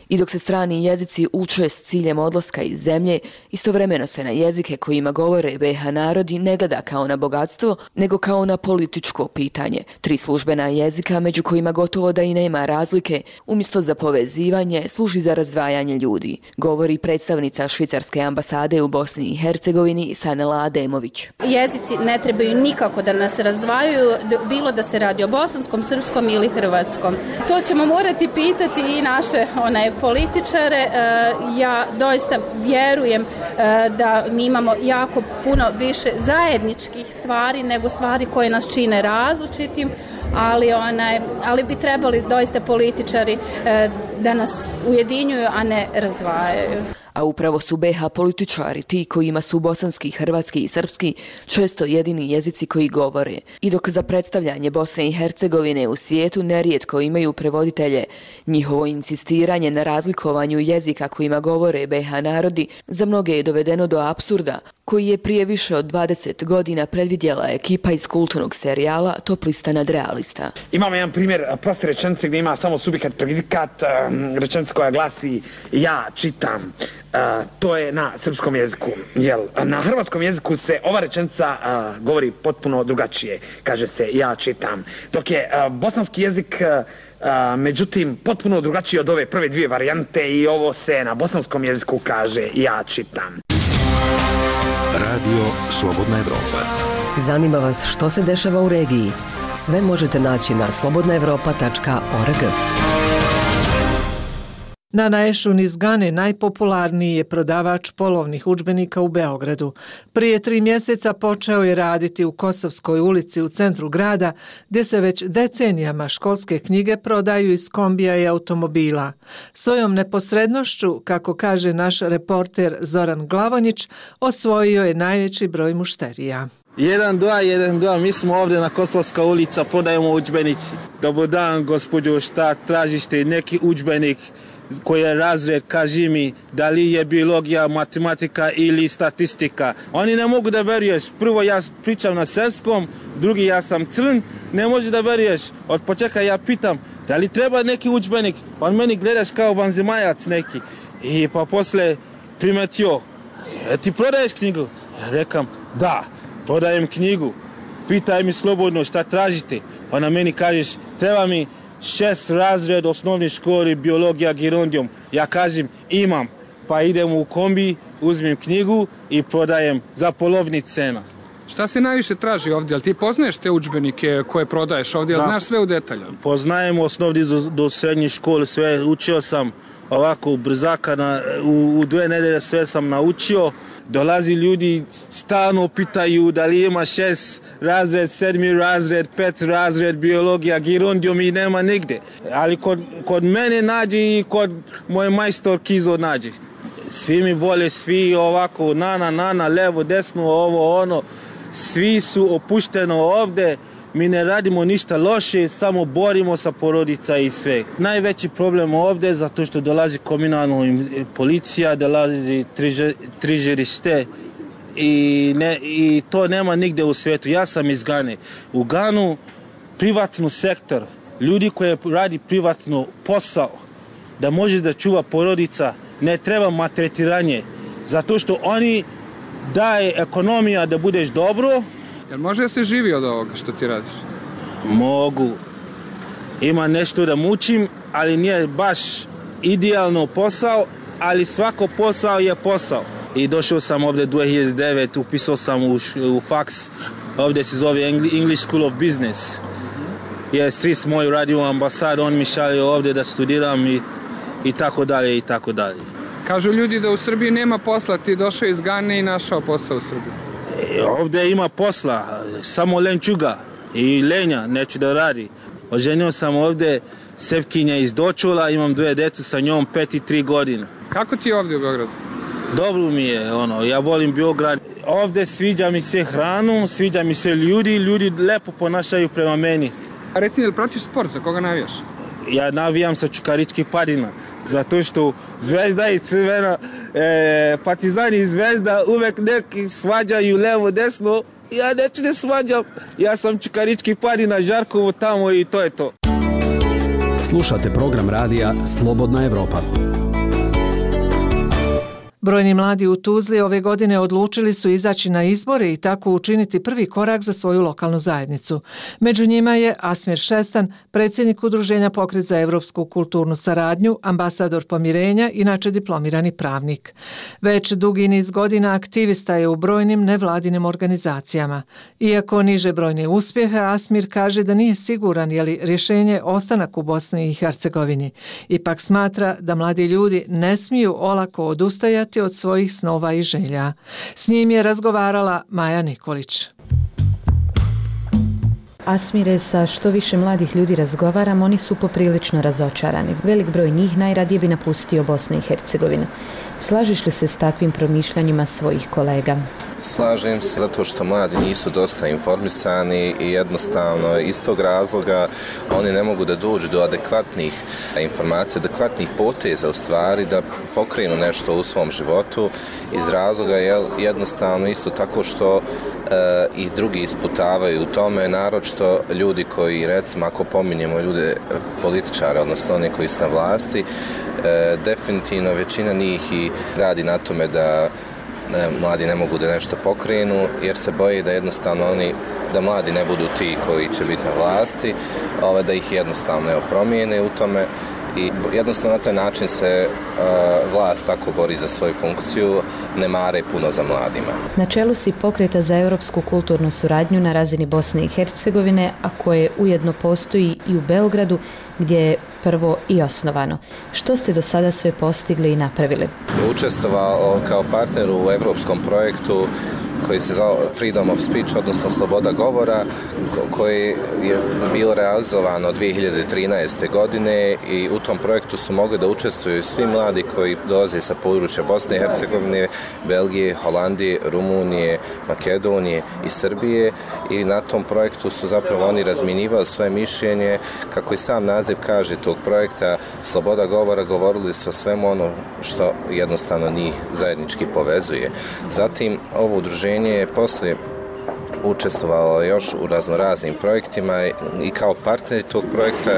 I dok se strani jezici uče s ciljem odlaska iz zemlje, istovremeno se na jezike kojima govore BiH narodi ne gleda kao na bogatstvo, nego kao na političko pitanje. 3 službena jezika, među kojima gotovo da i nema razlike, umjesto za povezivanje, služi za razdvajanje ljudi, govori predstavnica švicarske ambasade u Bosni i Hercegovini Sanela Ademović. Jezici ne trebaju nikako da nas razdvajaju, bilo da se radi o bosanskom, srpskom ili hrvatskom. To ćemo morati pitati i naše političare. Ja doista vjerujem da mi imamo jako puno više zajedničkih stvari nego stvari koje nas čine različitim, ali bi trebali doista političari da nas ujedinjuju, a ne razdvajaju. A upravo su BiH političari ti kojima su bosanski, hrvatski i srpski često jedini jezici koji govore. I dok za predstavljanje Bosne i Hercegovine u svijetu nerijetko imaju prevoditelje, njihovo insistiranje na razlikovanju jezika kojima govore BiH narodi za mnoge je dovedeno do apsurda, koji je prije više od 20 godina predvidjela ekipa iz kulturnog serijala Top lista nadrealista. Imamo jedan primjer proste rečenice gdje ima samo subjekat, predikat, rečenica koja glasi ja čitam. To je na srpskom jeziku. Na hrvatskom jeziku se ova rečenica govori potpuno drugačije. Kaže se ja čitam. Dok je bosanski jezik međutim potpuno drugačiji od ove prve 2 varijante i ovo se na bosanskom jeziku kaže ja čitam. Radio Slobodna Evropa. Zanima vas što se dešava u regiji? Sve možete naći na slobodnaevropa.org. Nana Ešun iz Gane najpopularniji je prodavač polovnih udžbenika u Beogradu. Prije 3 mjeseca počeo je raditi u Kosovskoj ulici u centru grada, gdje se već decenijama školske knjige prodaju iz kombija i automobila. Svojom neposrednošću, kako kaže naš reporter Zoran Glavonjić, osvojio je najveći broj mušterija. 1-2, mi smo ovdje na Kosovska ulica, prodajemo udžbenici. Dobar dan, gospođo, šta tražite, neki udžbenik? Koji je razred, kaži mi, da li je biologija, matematika ili statistika. Oni ne mogu da veruješ. Prvo ja pričam na srpskom, drugi ja sam crn, ne može da veruješ. Od početka ja pitam, da li treba neki udžbenik? On meni gledaš kao vanzemajac neki. I pa posle primetio, ti prodaješ knjigu? Ja rekam, da, prodajem knjigu. Pitaj mi slobodno šta tražite. Ona meni kažeš, treba mi 6 razred osnovne škole, biologija, gerundijum. Ja kažem, imam. Pa idem u kombi, uzmem knjigu i prodajem za polovni cena. Šta se najviše traži ovdje? Ali ti poznaješ te udžbenike koje prodaješ ovdje? Znaš sve u detalju? Poznajem osnovni do srednje škole, sve učio sam ovako brzaka, u 2 nedelje sve sam naučio. Dolazi ljudi, stalno pitaju da li ima 6 razred, 7 razred, 5 razred, biologija, gerundijum i nema nigdje. Ali kod mene nađe i kod moje majstor Kizo nađe. Svi mi vole, svi ovako, nana, levo, desno, ovo, ono. Svi su opušteno ovdje. mi ne radimo ništa loše, samo borimo sa porodica i sve. Najveći problem ovdje je zato što dolazi komunalna policija, dolazi trižerište i to nema nigdje u svijetu. Ja sam iz Gane. U Ganu privatni sektor, ljudi koji radi privatno posao, da može da čuva porodica, ne treba maltretiranje, zato što oni daje ekonomija da budeš dobro. Jel može da se živi od ovoga što ti radiš? Mogu. Ima nešto da mučim, ali nije baš idealno posao, ali svako posao je posao. I došao sam ovdje 2009, upisao sam u faks, ovdje se zove English School of Business. Stric moj radi u ambasadu, on mi šalje ovdje da studiram i tako dalje i tako dalje. Kažu ljudi da u Srbiji nema posla, ti došao iz Gane i našao posao u Srbiji. Ovdje ima posla, samo lenčuga i lenja, neću da radi. Oženio sam ovdje Sevkinja iz Dočula, imam 2 djecu sa njom, 5 i 3 godine. Kako ti je ovdje u Beogradu? Dobro mi je, ja volim Beograd. Ovdje sviđa mi se hranu, sviđa mi se ljudi lepo ponašaju prema meni. Reci mi, jel pratiš sport, za koga navijaš? Ja navijam sa Čukaričkih Padina, zato što Zvezda i Crvena, Partizan i Zvezda uvek neki svađaju levo, desno. Ja neću ne svađam, ja sam Čukaričkih Padina, Žarkovo tamo i to je to. Slušate program radija Slobodna Evropa. Brojni mladi u Tuzli ove godine odlučili su izaći na izbore i tako učiniti prvi korak za svoju lokalnu zajednicu. Među njima je Asmir Šestan, predsjednik Udruženja Pokret za evropsku kulturnu saradnju, ambasador pomirenja, inače diplomirani pravnik. Već dugi niz godina aktivista je u brojnim nevladinim organizacijama. Iako niže brojne uspjehe, Asmir kaže da nije siguran je li rješenje ostanak u Bosni i Hercegovini. Ipak smatra da mladi ljudi ne smiju olako odustajati od svojih snova i želja. S njim je razgovarala Maja Nikolić. Asmire, sa što više mladih ljudi razgovaram, oni su poprilično razočarani. Velik broj njih najradije bi napustio Bosnu i Hercegovinu. Slažeš li se s takvim promišljanjima svojih kolega? Slažem se zato što mladi nisu dosta informisani i jednostavno iz tog razloga oni ne mogu da dođu do adekvatnih informacija, adekvatnih poteza u stvari da pokrenu nešto u svom životu iz razloga jednostavno isto tako što i drugi isputavaju u tome, naročito ljudi koji, recimo ako pominjemo ljude političare, odnosno oni koji su na vlasti, definitivno većina njih i radi na tome da mladi ne mogu da nešto pokrenu jer se boje da jednostavno da mladi ne budu ti koji će biti na vlasti, da ih jednostavno promijene u tome i jednostavno na taj način se vlast tako bori za svoju funkciju, ne mare puno za mladima. Na čelu si Pokreta za europsku kulturnu suradnju na razini Bosne i Hercegovine, a koje ujedno postoji i u Beogradu, gdje je prvo i osnovano. Što ste do sada sve postigli i napravili? Učestvovao kao partner u evropskom projektu koji se zvao Freedom of Speech, odnosno sloboda govora, koji je bilo realizovano 2013. godine i u tom projektu su mogli da učestvuju svi mladi koji dolaze sa područja Bosne i Hercegovine, Belgije, Holandije, Rumunije, Makedonije i Srbije i na tom projektu su zapravo oni razmjenjivali svoje mišljenje, kako i sam naziv kaže tog projekta, sloboda govora, govorili su o svemu ono što jednostavno njih zajednički povezuje. Zatim ovo udruženje je poslije učestvovalo još u raznoraznim projektima i kao partneri tog projekta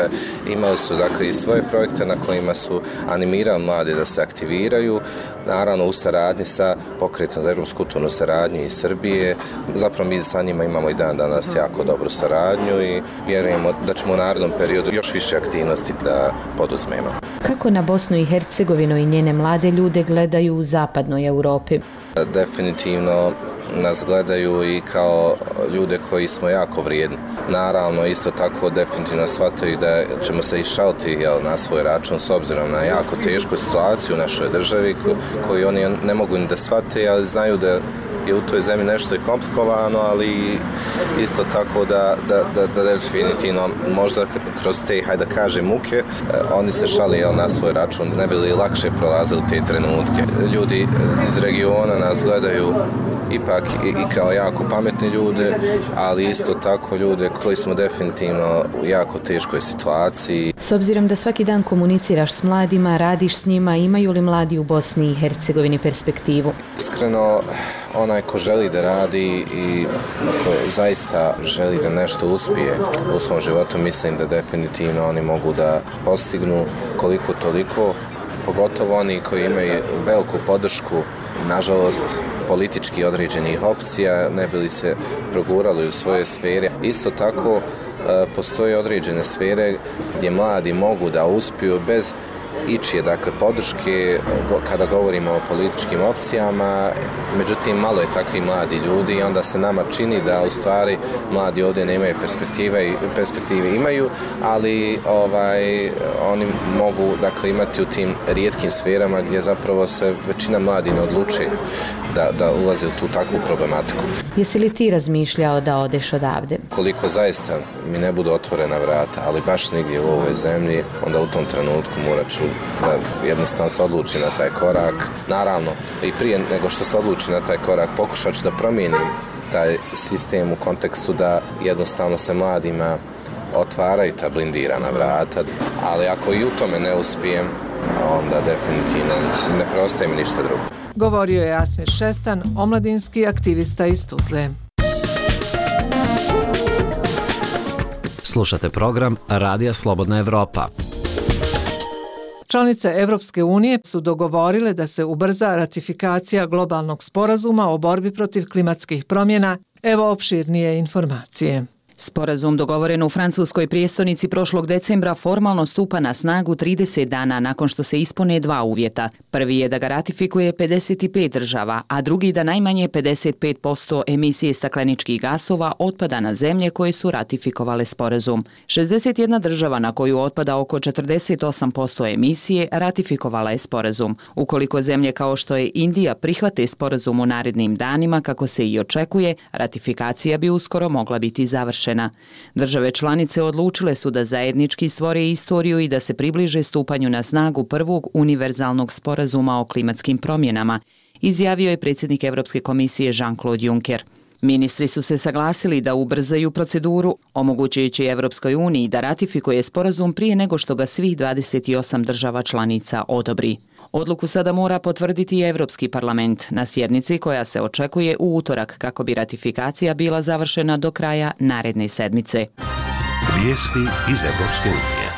imali su dakle i svoje projekte na kojima su animirali mlade da se aktiviraju, naravno u saradnji sa Pokretom za evropsku kulturnu saradnju iz Srbije. Zapravo mi sa njima imamo i dan danas jako dobru saradnju i vjerujemo da ćemo u narednom periodu još više aktivnosti da poduzmemo. Kako na Bosnu i Hercegovinu i njene mlade ljude gledaju u zapadnoj Europi? Definitivno nas gledaju i kao ljude koji smo jako vrijedni. Naravno, isto tako definitivno shvataju da ćemo se išaliti na svoj račun s obzirom na jako tešku situaciju u našoj državi koju oni ne mogu ni da shvate, ali znaju da je u toj zemlji nešto je komplikovano, ali isto tako da definitivno možda kroz te, hajde da kažem, muke, oni se šali na svoj račun, ne bi li lakše prolazili te trenutke. Ljudi iz regiona nas gledaju ipak i kao jako pametne ljude, ali isto tako ljude koji smo definitivno u jako teškoj situaciji. S obzirom da svaki dan komuniciraš s mladima, radiš s njima, imaju li mladi u Bosni i Hercegovini perspektivu? Iskreno, onaj ko želi da radi i ko zaista želi da nešto uspije u svom životu, mislim da definitivno oni mogu da postignu koliko toliko, pogotovo oni koji imaju veliku podršku, nažalost, politički određenih opcija, ne bi li se progurali u svoje sfere. Isto tako, postoje određene sfere gdje mladi mogu da uspiju bez ičije, dakle, podrške kada govorimo o političkim opcijama, međutim malo je takvi mladi ljudi i onda se nama čini da u stvari mladi ovdje nemaju perspektive imaju, ali oni mogu, dakle, imati u tim rijetkim sferama gdje zapravo se većina mladi ne odluči da ulaze u tu takvu problematiku. Jesi li ti razmišljao da odeš odavde? Koliko zaista mi ne budu otvorena vrata, ali baš nigdje u ovoj zemlji, onda u tom trenutku morat ću da jednostavno se odluči na taj korak. Naravno, i prije nego što se odluči na taj korak, pokušat ću da promijenim taj sistem u kontekstu da jednostavno se mladima otvaraju ta blindirana vrata, ali ako i u tome ne uspijem, onda definitivno ne preostaje mi ništa drugo. Govorio je Asmir Šestan, omladinski aktivista iz Tuzle. Slušate program Radija Slobodna Evropa. Članice Evropske unije su dogovorile da se ubrza ratifikacija globalnog sporazuma o borbi protiv klimatskih promjena. Evo opširnije informacije. Sporazum dogovoren u francuskoj prijestolnici prošlog decembra formalno stupa na snagu 30 dana nakon što se ispune dva uvjeta. Prvi je da ga ratifikuje 55 država, a drugi da najmanje 55% emisije stakleničkih gasova otpada na zemlje koje su ratifikovale sporazum. 61 država na koju otpada oko 48% emisije ratifikovala je sporazum. Ukoliko zemlje kao što je Indija prihvate sporazum u narednim danima, kako se i očekuje, ratifikacija bi uskoro mogla biti završena. Države članice odlučile su da zajednički stvore istoriju i da se približe stupanju na snagu prvog univerzalnog sporazuma o klimatskim promjenama, izjavio je predsjednik Europske komisije Jean-Claude Juncker. Ministri su se saglasili da ubrzaju proceduru, omogućujući Europskoj uniji da ratifikuje sporazum prije nego što ga svih 28 država članica odobri. Odluku sada mora potvrditi i Europski parlament na sjednici koja se očekuje u utorak kako bi ratifikacija bila završena do kraja naredne sedmice. Vijesti iz Europske unije.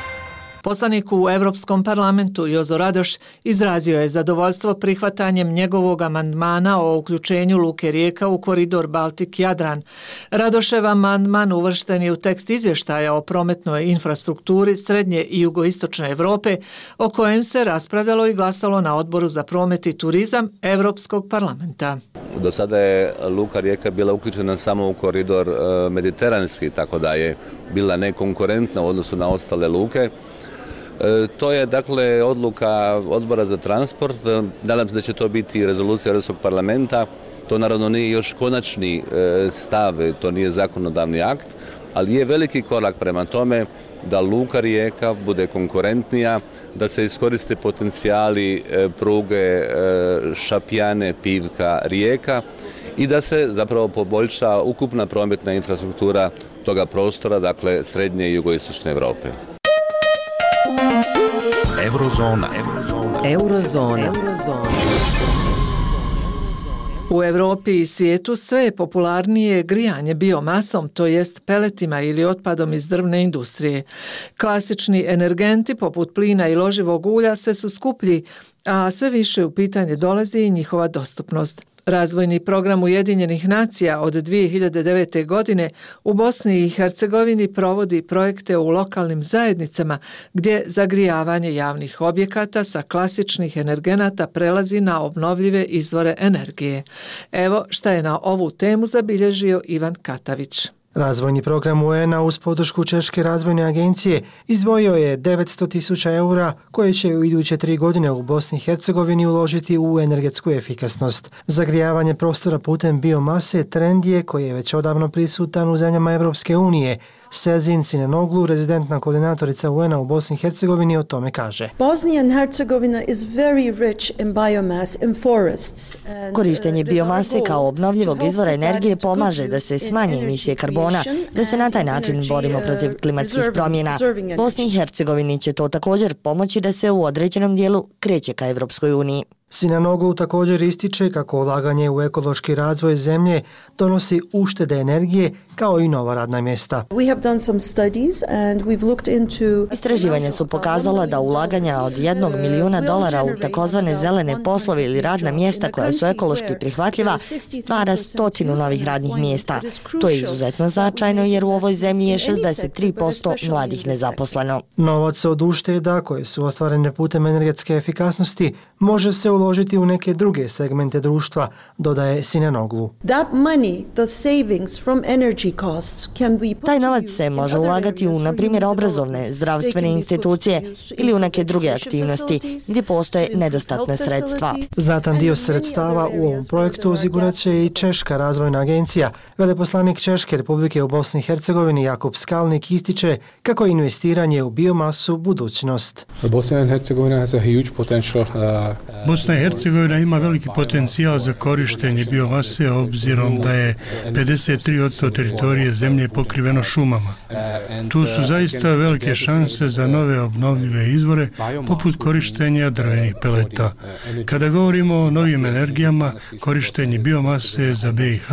Poslanik u Europskom parlamentu Jozo Radoš izrazio je zadovoljstvo prihvatanjem njegovog amandmana o uključenju Luke Rijeka u koridor Baltik-Jadran. Radošev amandman uvršten je u tekst izvještaja o prometnoj infrastrukturi srednje i jugoistočne Europe, o kojem se raspravljalo i glasalo na Odboru za promet i turizam Europskog parlamenta. Do sada je Luka Rijeka bila uključena samo u koridor mediteranski, tako da je bila nekonkurentna u odnosu na ostale luke. To je dakle odluka Odbora za transport. Nadam se da će to biti rezolucija Europskog parlamenta. To naravno nije još konačni stav, to nije zakonodavni akt, ali je veliki korak prema tome da Luka Rijeka bude konkurentnija, da se iskoriste potencijali pruge Šapjane, Pivka, Rijeka i da se zapravo poboljša ukupna prometna infrastruktura toga prostora, dakle srednje i jugoistočne Europe. Eurozona. U Europi i svijetu sve je popularnije grijanje biomasom, to jest peletima ili otpadom iz drvne industrije. Klasični energenti poput plina i loživog ulja sve su skuplji, a sve više u pitanje dolazi i njihova dostupnost. Razvojni program Ujedinjenih nacija od 2009. godine u Bosni i Hercegovini provodi projekte u lokalnim zajednicama gdje zagrijavanje javnih objekata sa klasičnih energenata prelazi na obnovljive izvore energije. Evo šta je na ovu temu zabilježio Ivan Katavić. Razvojni program UN-a uz podršku Češke razvojne agencije izdvojio je 900.000 eura koje će u iduće 3 godine u Bosni i Hercegovini uložiti u energetsku efikasnost. Zagrijavanje prostora putem biomase trend je koji je već odavno prisutan u zemljama Europske unije, Sezin Sinanoglu, rezidentna koordinatorica UN-a u Bosni i Hercegovini, o tome kaže. Bosnia and Herzegovina is very rich in biomass in forests. Korištenje biomase kao obnovljivog izvora energije pomaže da se smanje emisije karbona, da se na taj način borimo protiv klimatskih promjena. Bosni i Hercegovini će to također pomoći da se u određenom dijelu kreće ka Evropskoj uniji. Sinanoglu također ističe kako ulaganje u ekološki razvoj zemlje donosi uštede energije kao i nova radna mjesta. Istraživanja su pokazala da ulaganja od $1 milijuna u takozvane zelene poslove ili radna mjesta koja su ekološki prihvatljiva stvara 100 novih radnih mjesta. To je izuzetno značajno jer u ovoj zemlji je 63% mladih nezaposleno. Novac od ušteda koje su ostvarene putem energetske efikasnosti može se uložiti u neke druge segmente društva, dodaje Sinanoglu. Taj novac se može ulagati u, na primjer, obrazovne, zdravstvene institucije ili u neke druge aktivnosti gdje postoje nedostatna sredstva. Znatan dio sredstava u ovom projektu osigurat će i Češka razvojna agencija. Veleposlanik Češke Republike u Bosni i Hercegovini Jakub Skalnik ističe kako je investiranje u biomasu budućnost. Bosna i Hercegovina ima veliki potencijal za korištenje biomase obzirom da je 53% teritorije zemlje pokriveno šumama. Tu su zaista velike šanse za nove obnovljive izvore poput korištenja drvenih peleta. Kada govorimo o novim energijama, korištenje biomase za BiH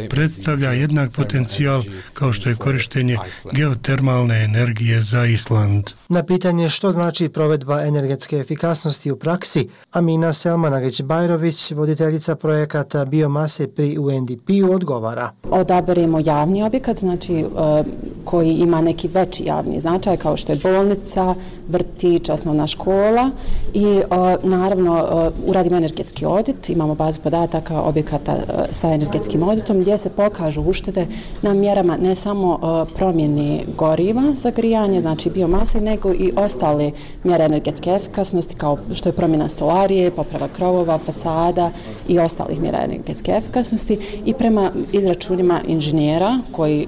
predstavlja jednak potencijal kao što je korištenje geotermalne energije za Island. Na pitanje što znači provedba energetske efikasnosti u praksi, Amina Selmanagić-Bajrović, voditeljica projekata biomase pri UNDP-u, odgovara. Odaberemo javni objekat, znači koji ima neki veći javni značaj kao što je bolnica, vrtić, osnovna škola i naravno uradimo energetski audit, imamo bazu podataka objekata sa energetskim auditom gdje se pokažu uštede na mjerama ne samo promjeni goriva za grijanje, znači biomase, nego i ostale mjere energetske efikasnosti kao što je promjena stolarije, poprava krovova, fasada i ostalih mjera energetske efikasnosti i prema izračunima inženjera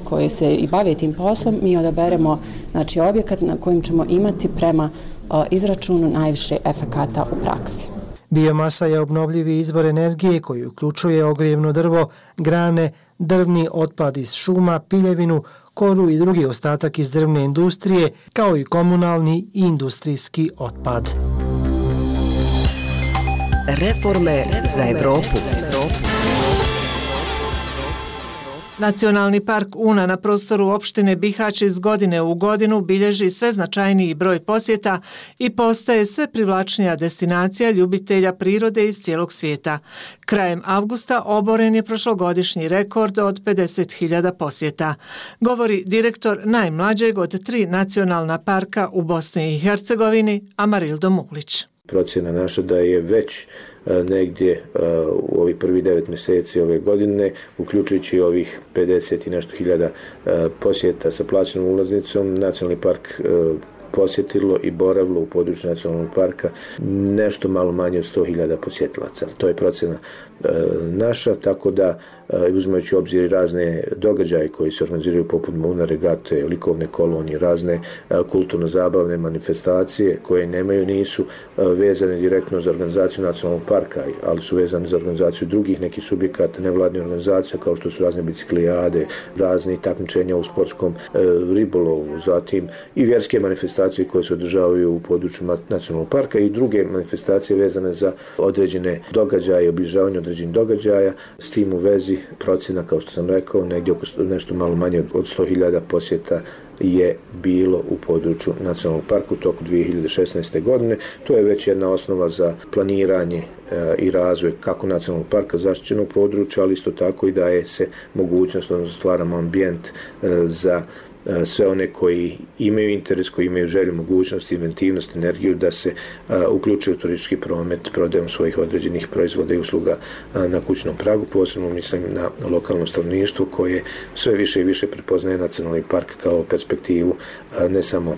koji se i bave tim poslom mi odaberemo znači objekat na kojem ćemo imati prema izračunu najviše efekata u praksi. Biomasa je obnovljivi izvor energije koji uključuje ogrijevno drvo, grane, drvni otpad iz šuma, piljevinu, koru i drugi ostatak iz drvne industrije, kao i komunalni i industrijski otpad. Reforme za Evropu. Nacionalni park Una na prostoru opštine Bihać iz godine u godinu bilježi sve značajniji broj posjeta i postaje sve privlačnija destinacija ljubitelja prirode iz cijelog svijeta. Krajem avgusta oboren je prošlogodišnji rekord od 50.000 posjeta. Govori direktor najmlađeg od 3 nacionalna parka u Bosni i Hercegovini, Amarildo Mulić. Procjena naša da je već negdje u ovih prvi 9 mjeseci ove godine, uključujući ovih 50 i nešto hiljada posjeta sa plaćenom ulaznicom, nacionalni park posjetilo i boravilo u području nacionalnog parka nešto malo manje od 100.000 posjetilaca. To je procjena naša, tako da uzimajući u obzir razne događaje koji se organiziraju poput Muna regate, likovne kolonije, razne kulturno-zabavne manifestacije koje nisu vezane direktno za organizaciju nacionalnog parka, ali su vezane za organizaciju drugih nekih subjekata, nevladnih organizacija kao što su razne biciklijade, razne takmičenja u sportskom ribolovu, zatim i vjerske manifestacije koje se održavaju u području nacionalnog parka i druge manifestacije vezane za određene događaje, obilježavanje određenih događaja. S tim u vezi procjena, kao što sam rekao, negdje oko nešto malo manje od 100.000 posjeta je bilo u području nacionalnog parka u toku 2016. godine. To je već jedna osnova za planiranje i razvoj kako nacionalnog parka, zaštićenog područja, ali isto tako i daje se mogućnost, odnosno stvaramo ambijent za sve one koji imaju interes, koji imaju želju, mogućnost, inventivnost, energiju da se uključuju u turistički promet prodajom svojih određenih proizvoda i usluga na kućnom pragu. Posebno mislim na lokalno stanovništvo koje sve više i više prepoznaje nacionalni park kao perspektivu ne samo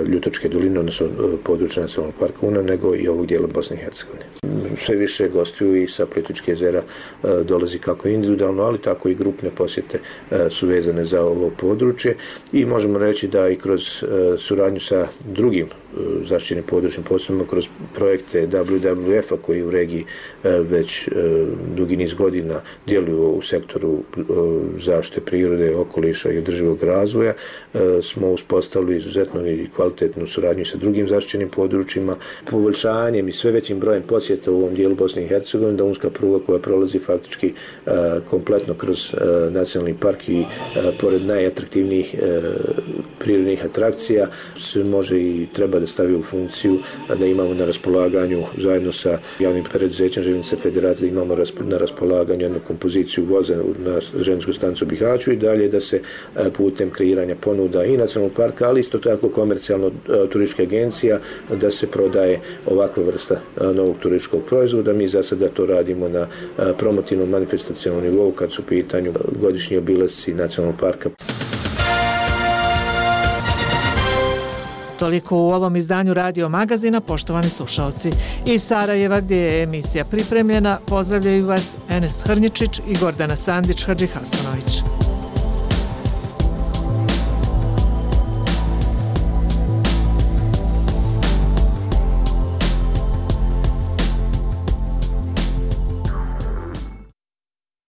Ljutočke doline, odnosno područja nacionalnog parka Una, nego i ovog dijela Bosne i Hercegovine. Sve više gostiju i sa Plitvičke jezera dolazi kako individualno, ali tako i grupne posjete su vezane za ovo područje. i možemo reći da i kroz suradnju sa drugim zaštićenim područnim posebno kroz projekte WWF-a koji u regiji već dugi niz godina djeluju u sektoru zaštite prirode, okoliša i održivog razvoja, smo uspostavili izuzetno i kvalitetnu suradnju sa drugim zaštićenim područjima, poboljšanjem i sve većim brojem posjeta u ovom dijelu Bosne i Hercegovine, da unska pruga koja prolazi faktički kompletno kroz nacionalni park i pored najatraktivnijih prirodnih atrakcija se može i treba da stavi u funkciju, da imamo na raspolaganju zajedno sa javnim preduzećem Željeznice Federacije, da imamo na raspolaganju jednu kompoziciju voza na željezničku stanicu u Bihaću i dalje da se putem kreiranja ponuda i nacionalnog parka, ali isto tako komercijalno turistička agencija, da se prodaje ovakva vrsta novog turističkog proizvoda. Mi za sada to radimo na promotivnom manifestacionalnom nivou kad su u pitanju godišnji obilasci nacionalnog parka. Toliko u ovom izdanju Radio Magazina, poštovani slušalci. Iz Sarajeva, gdje je emisija pripremljena, pozdravljaju vas Enes Hrnjičić i Gordana Sandić-Hadžihasanović.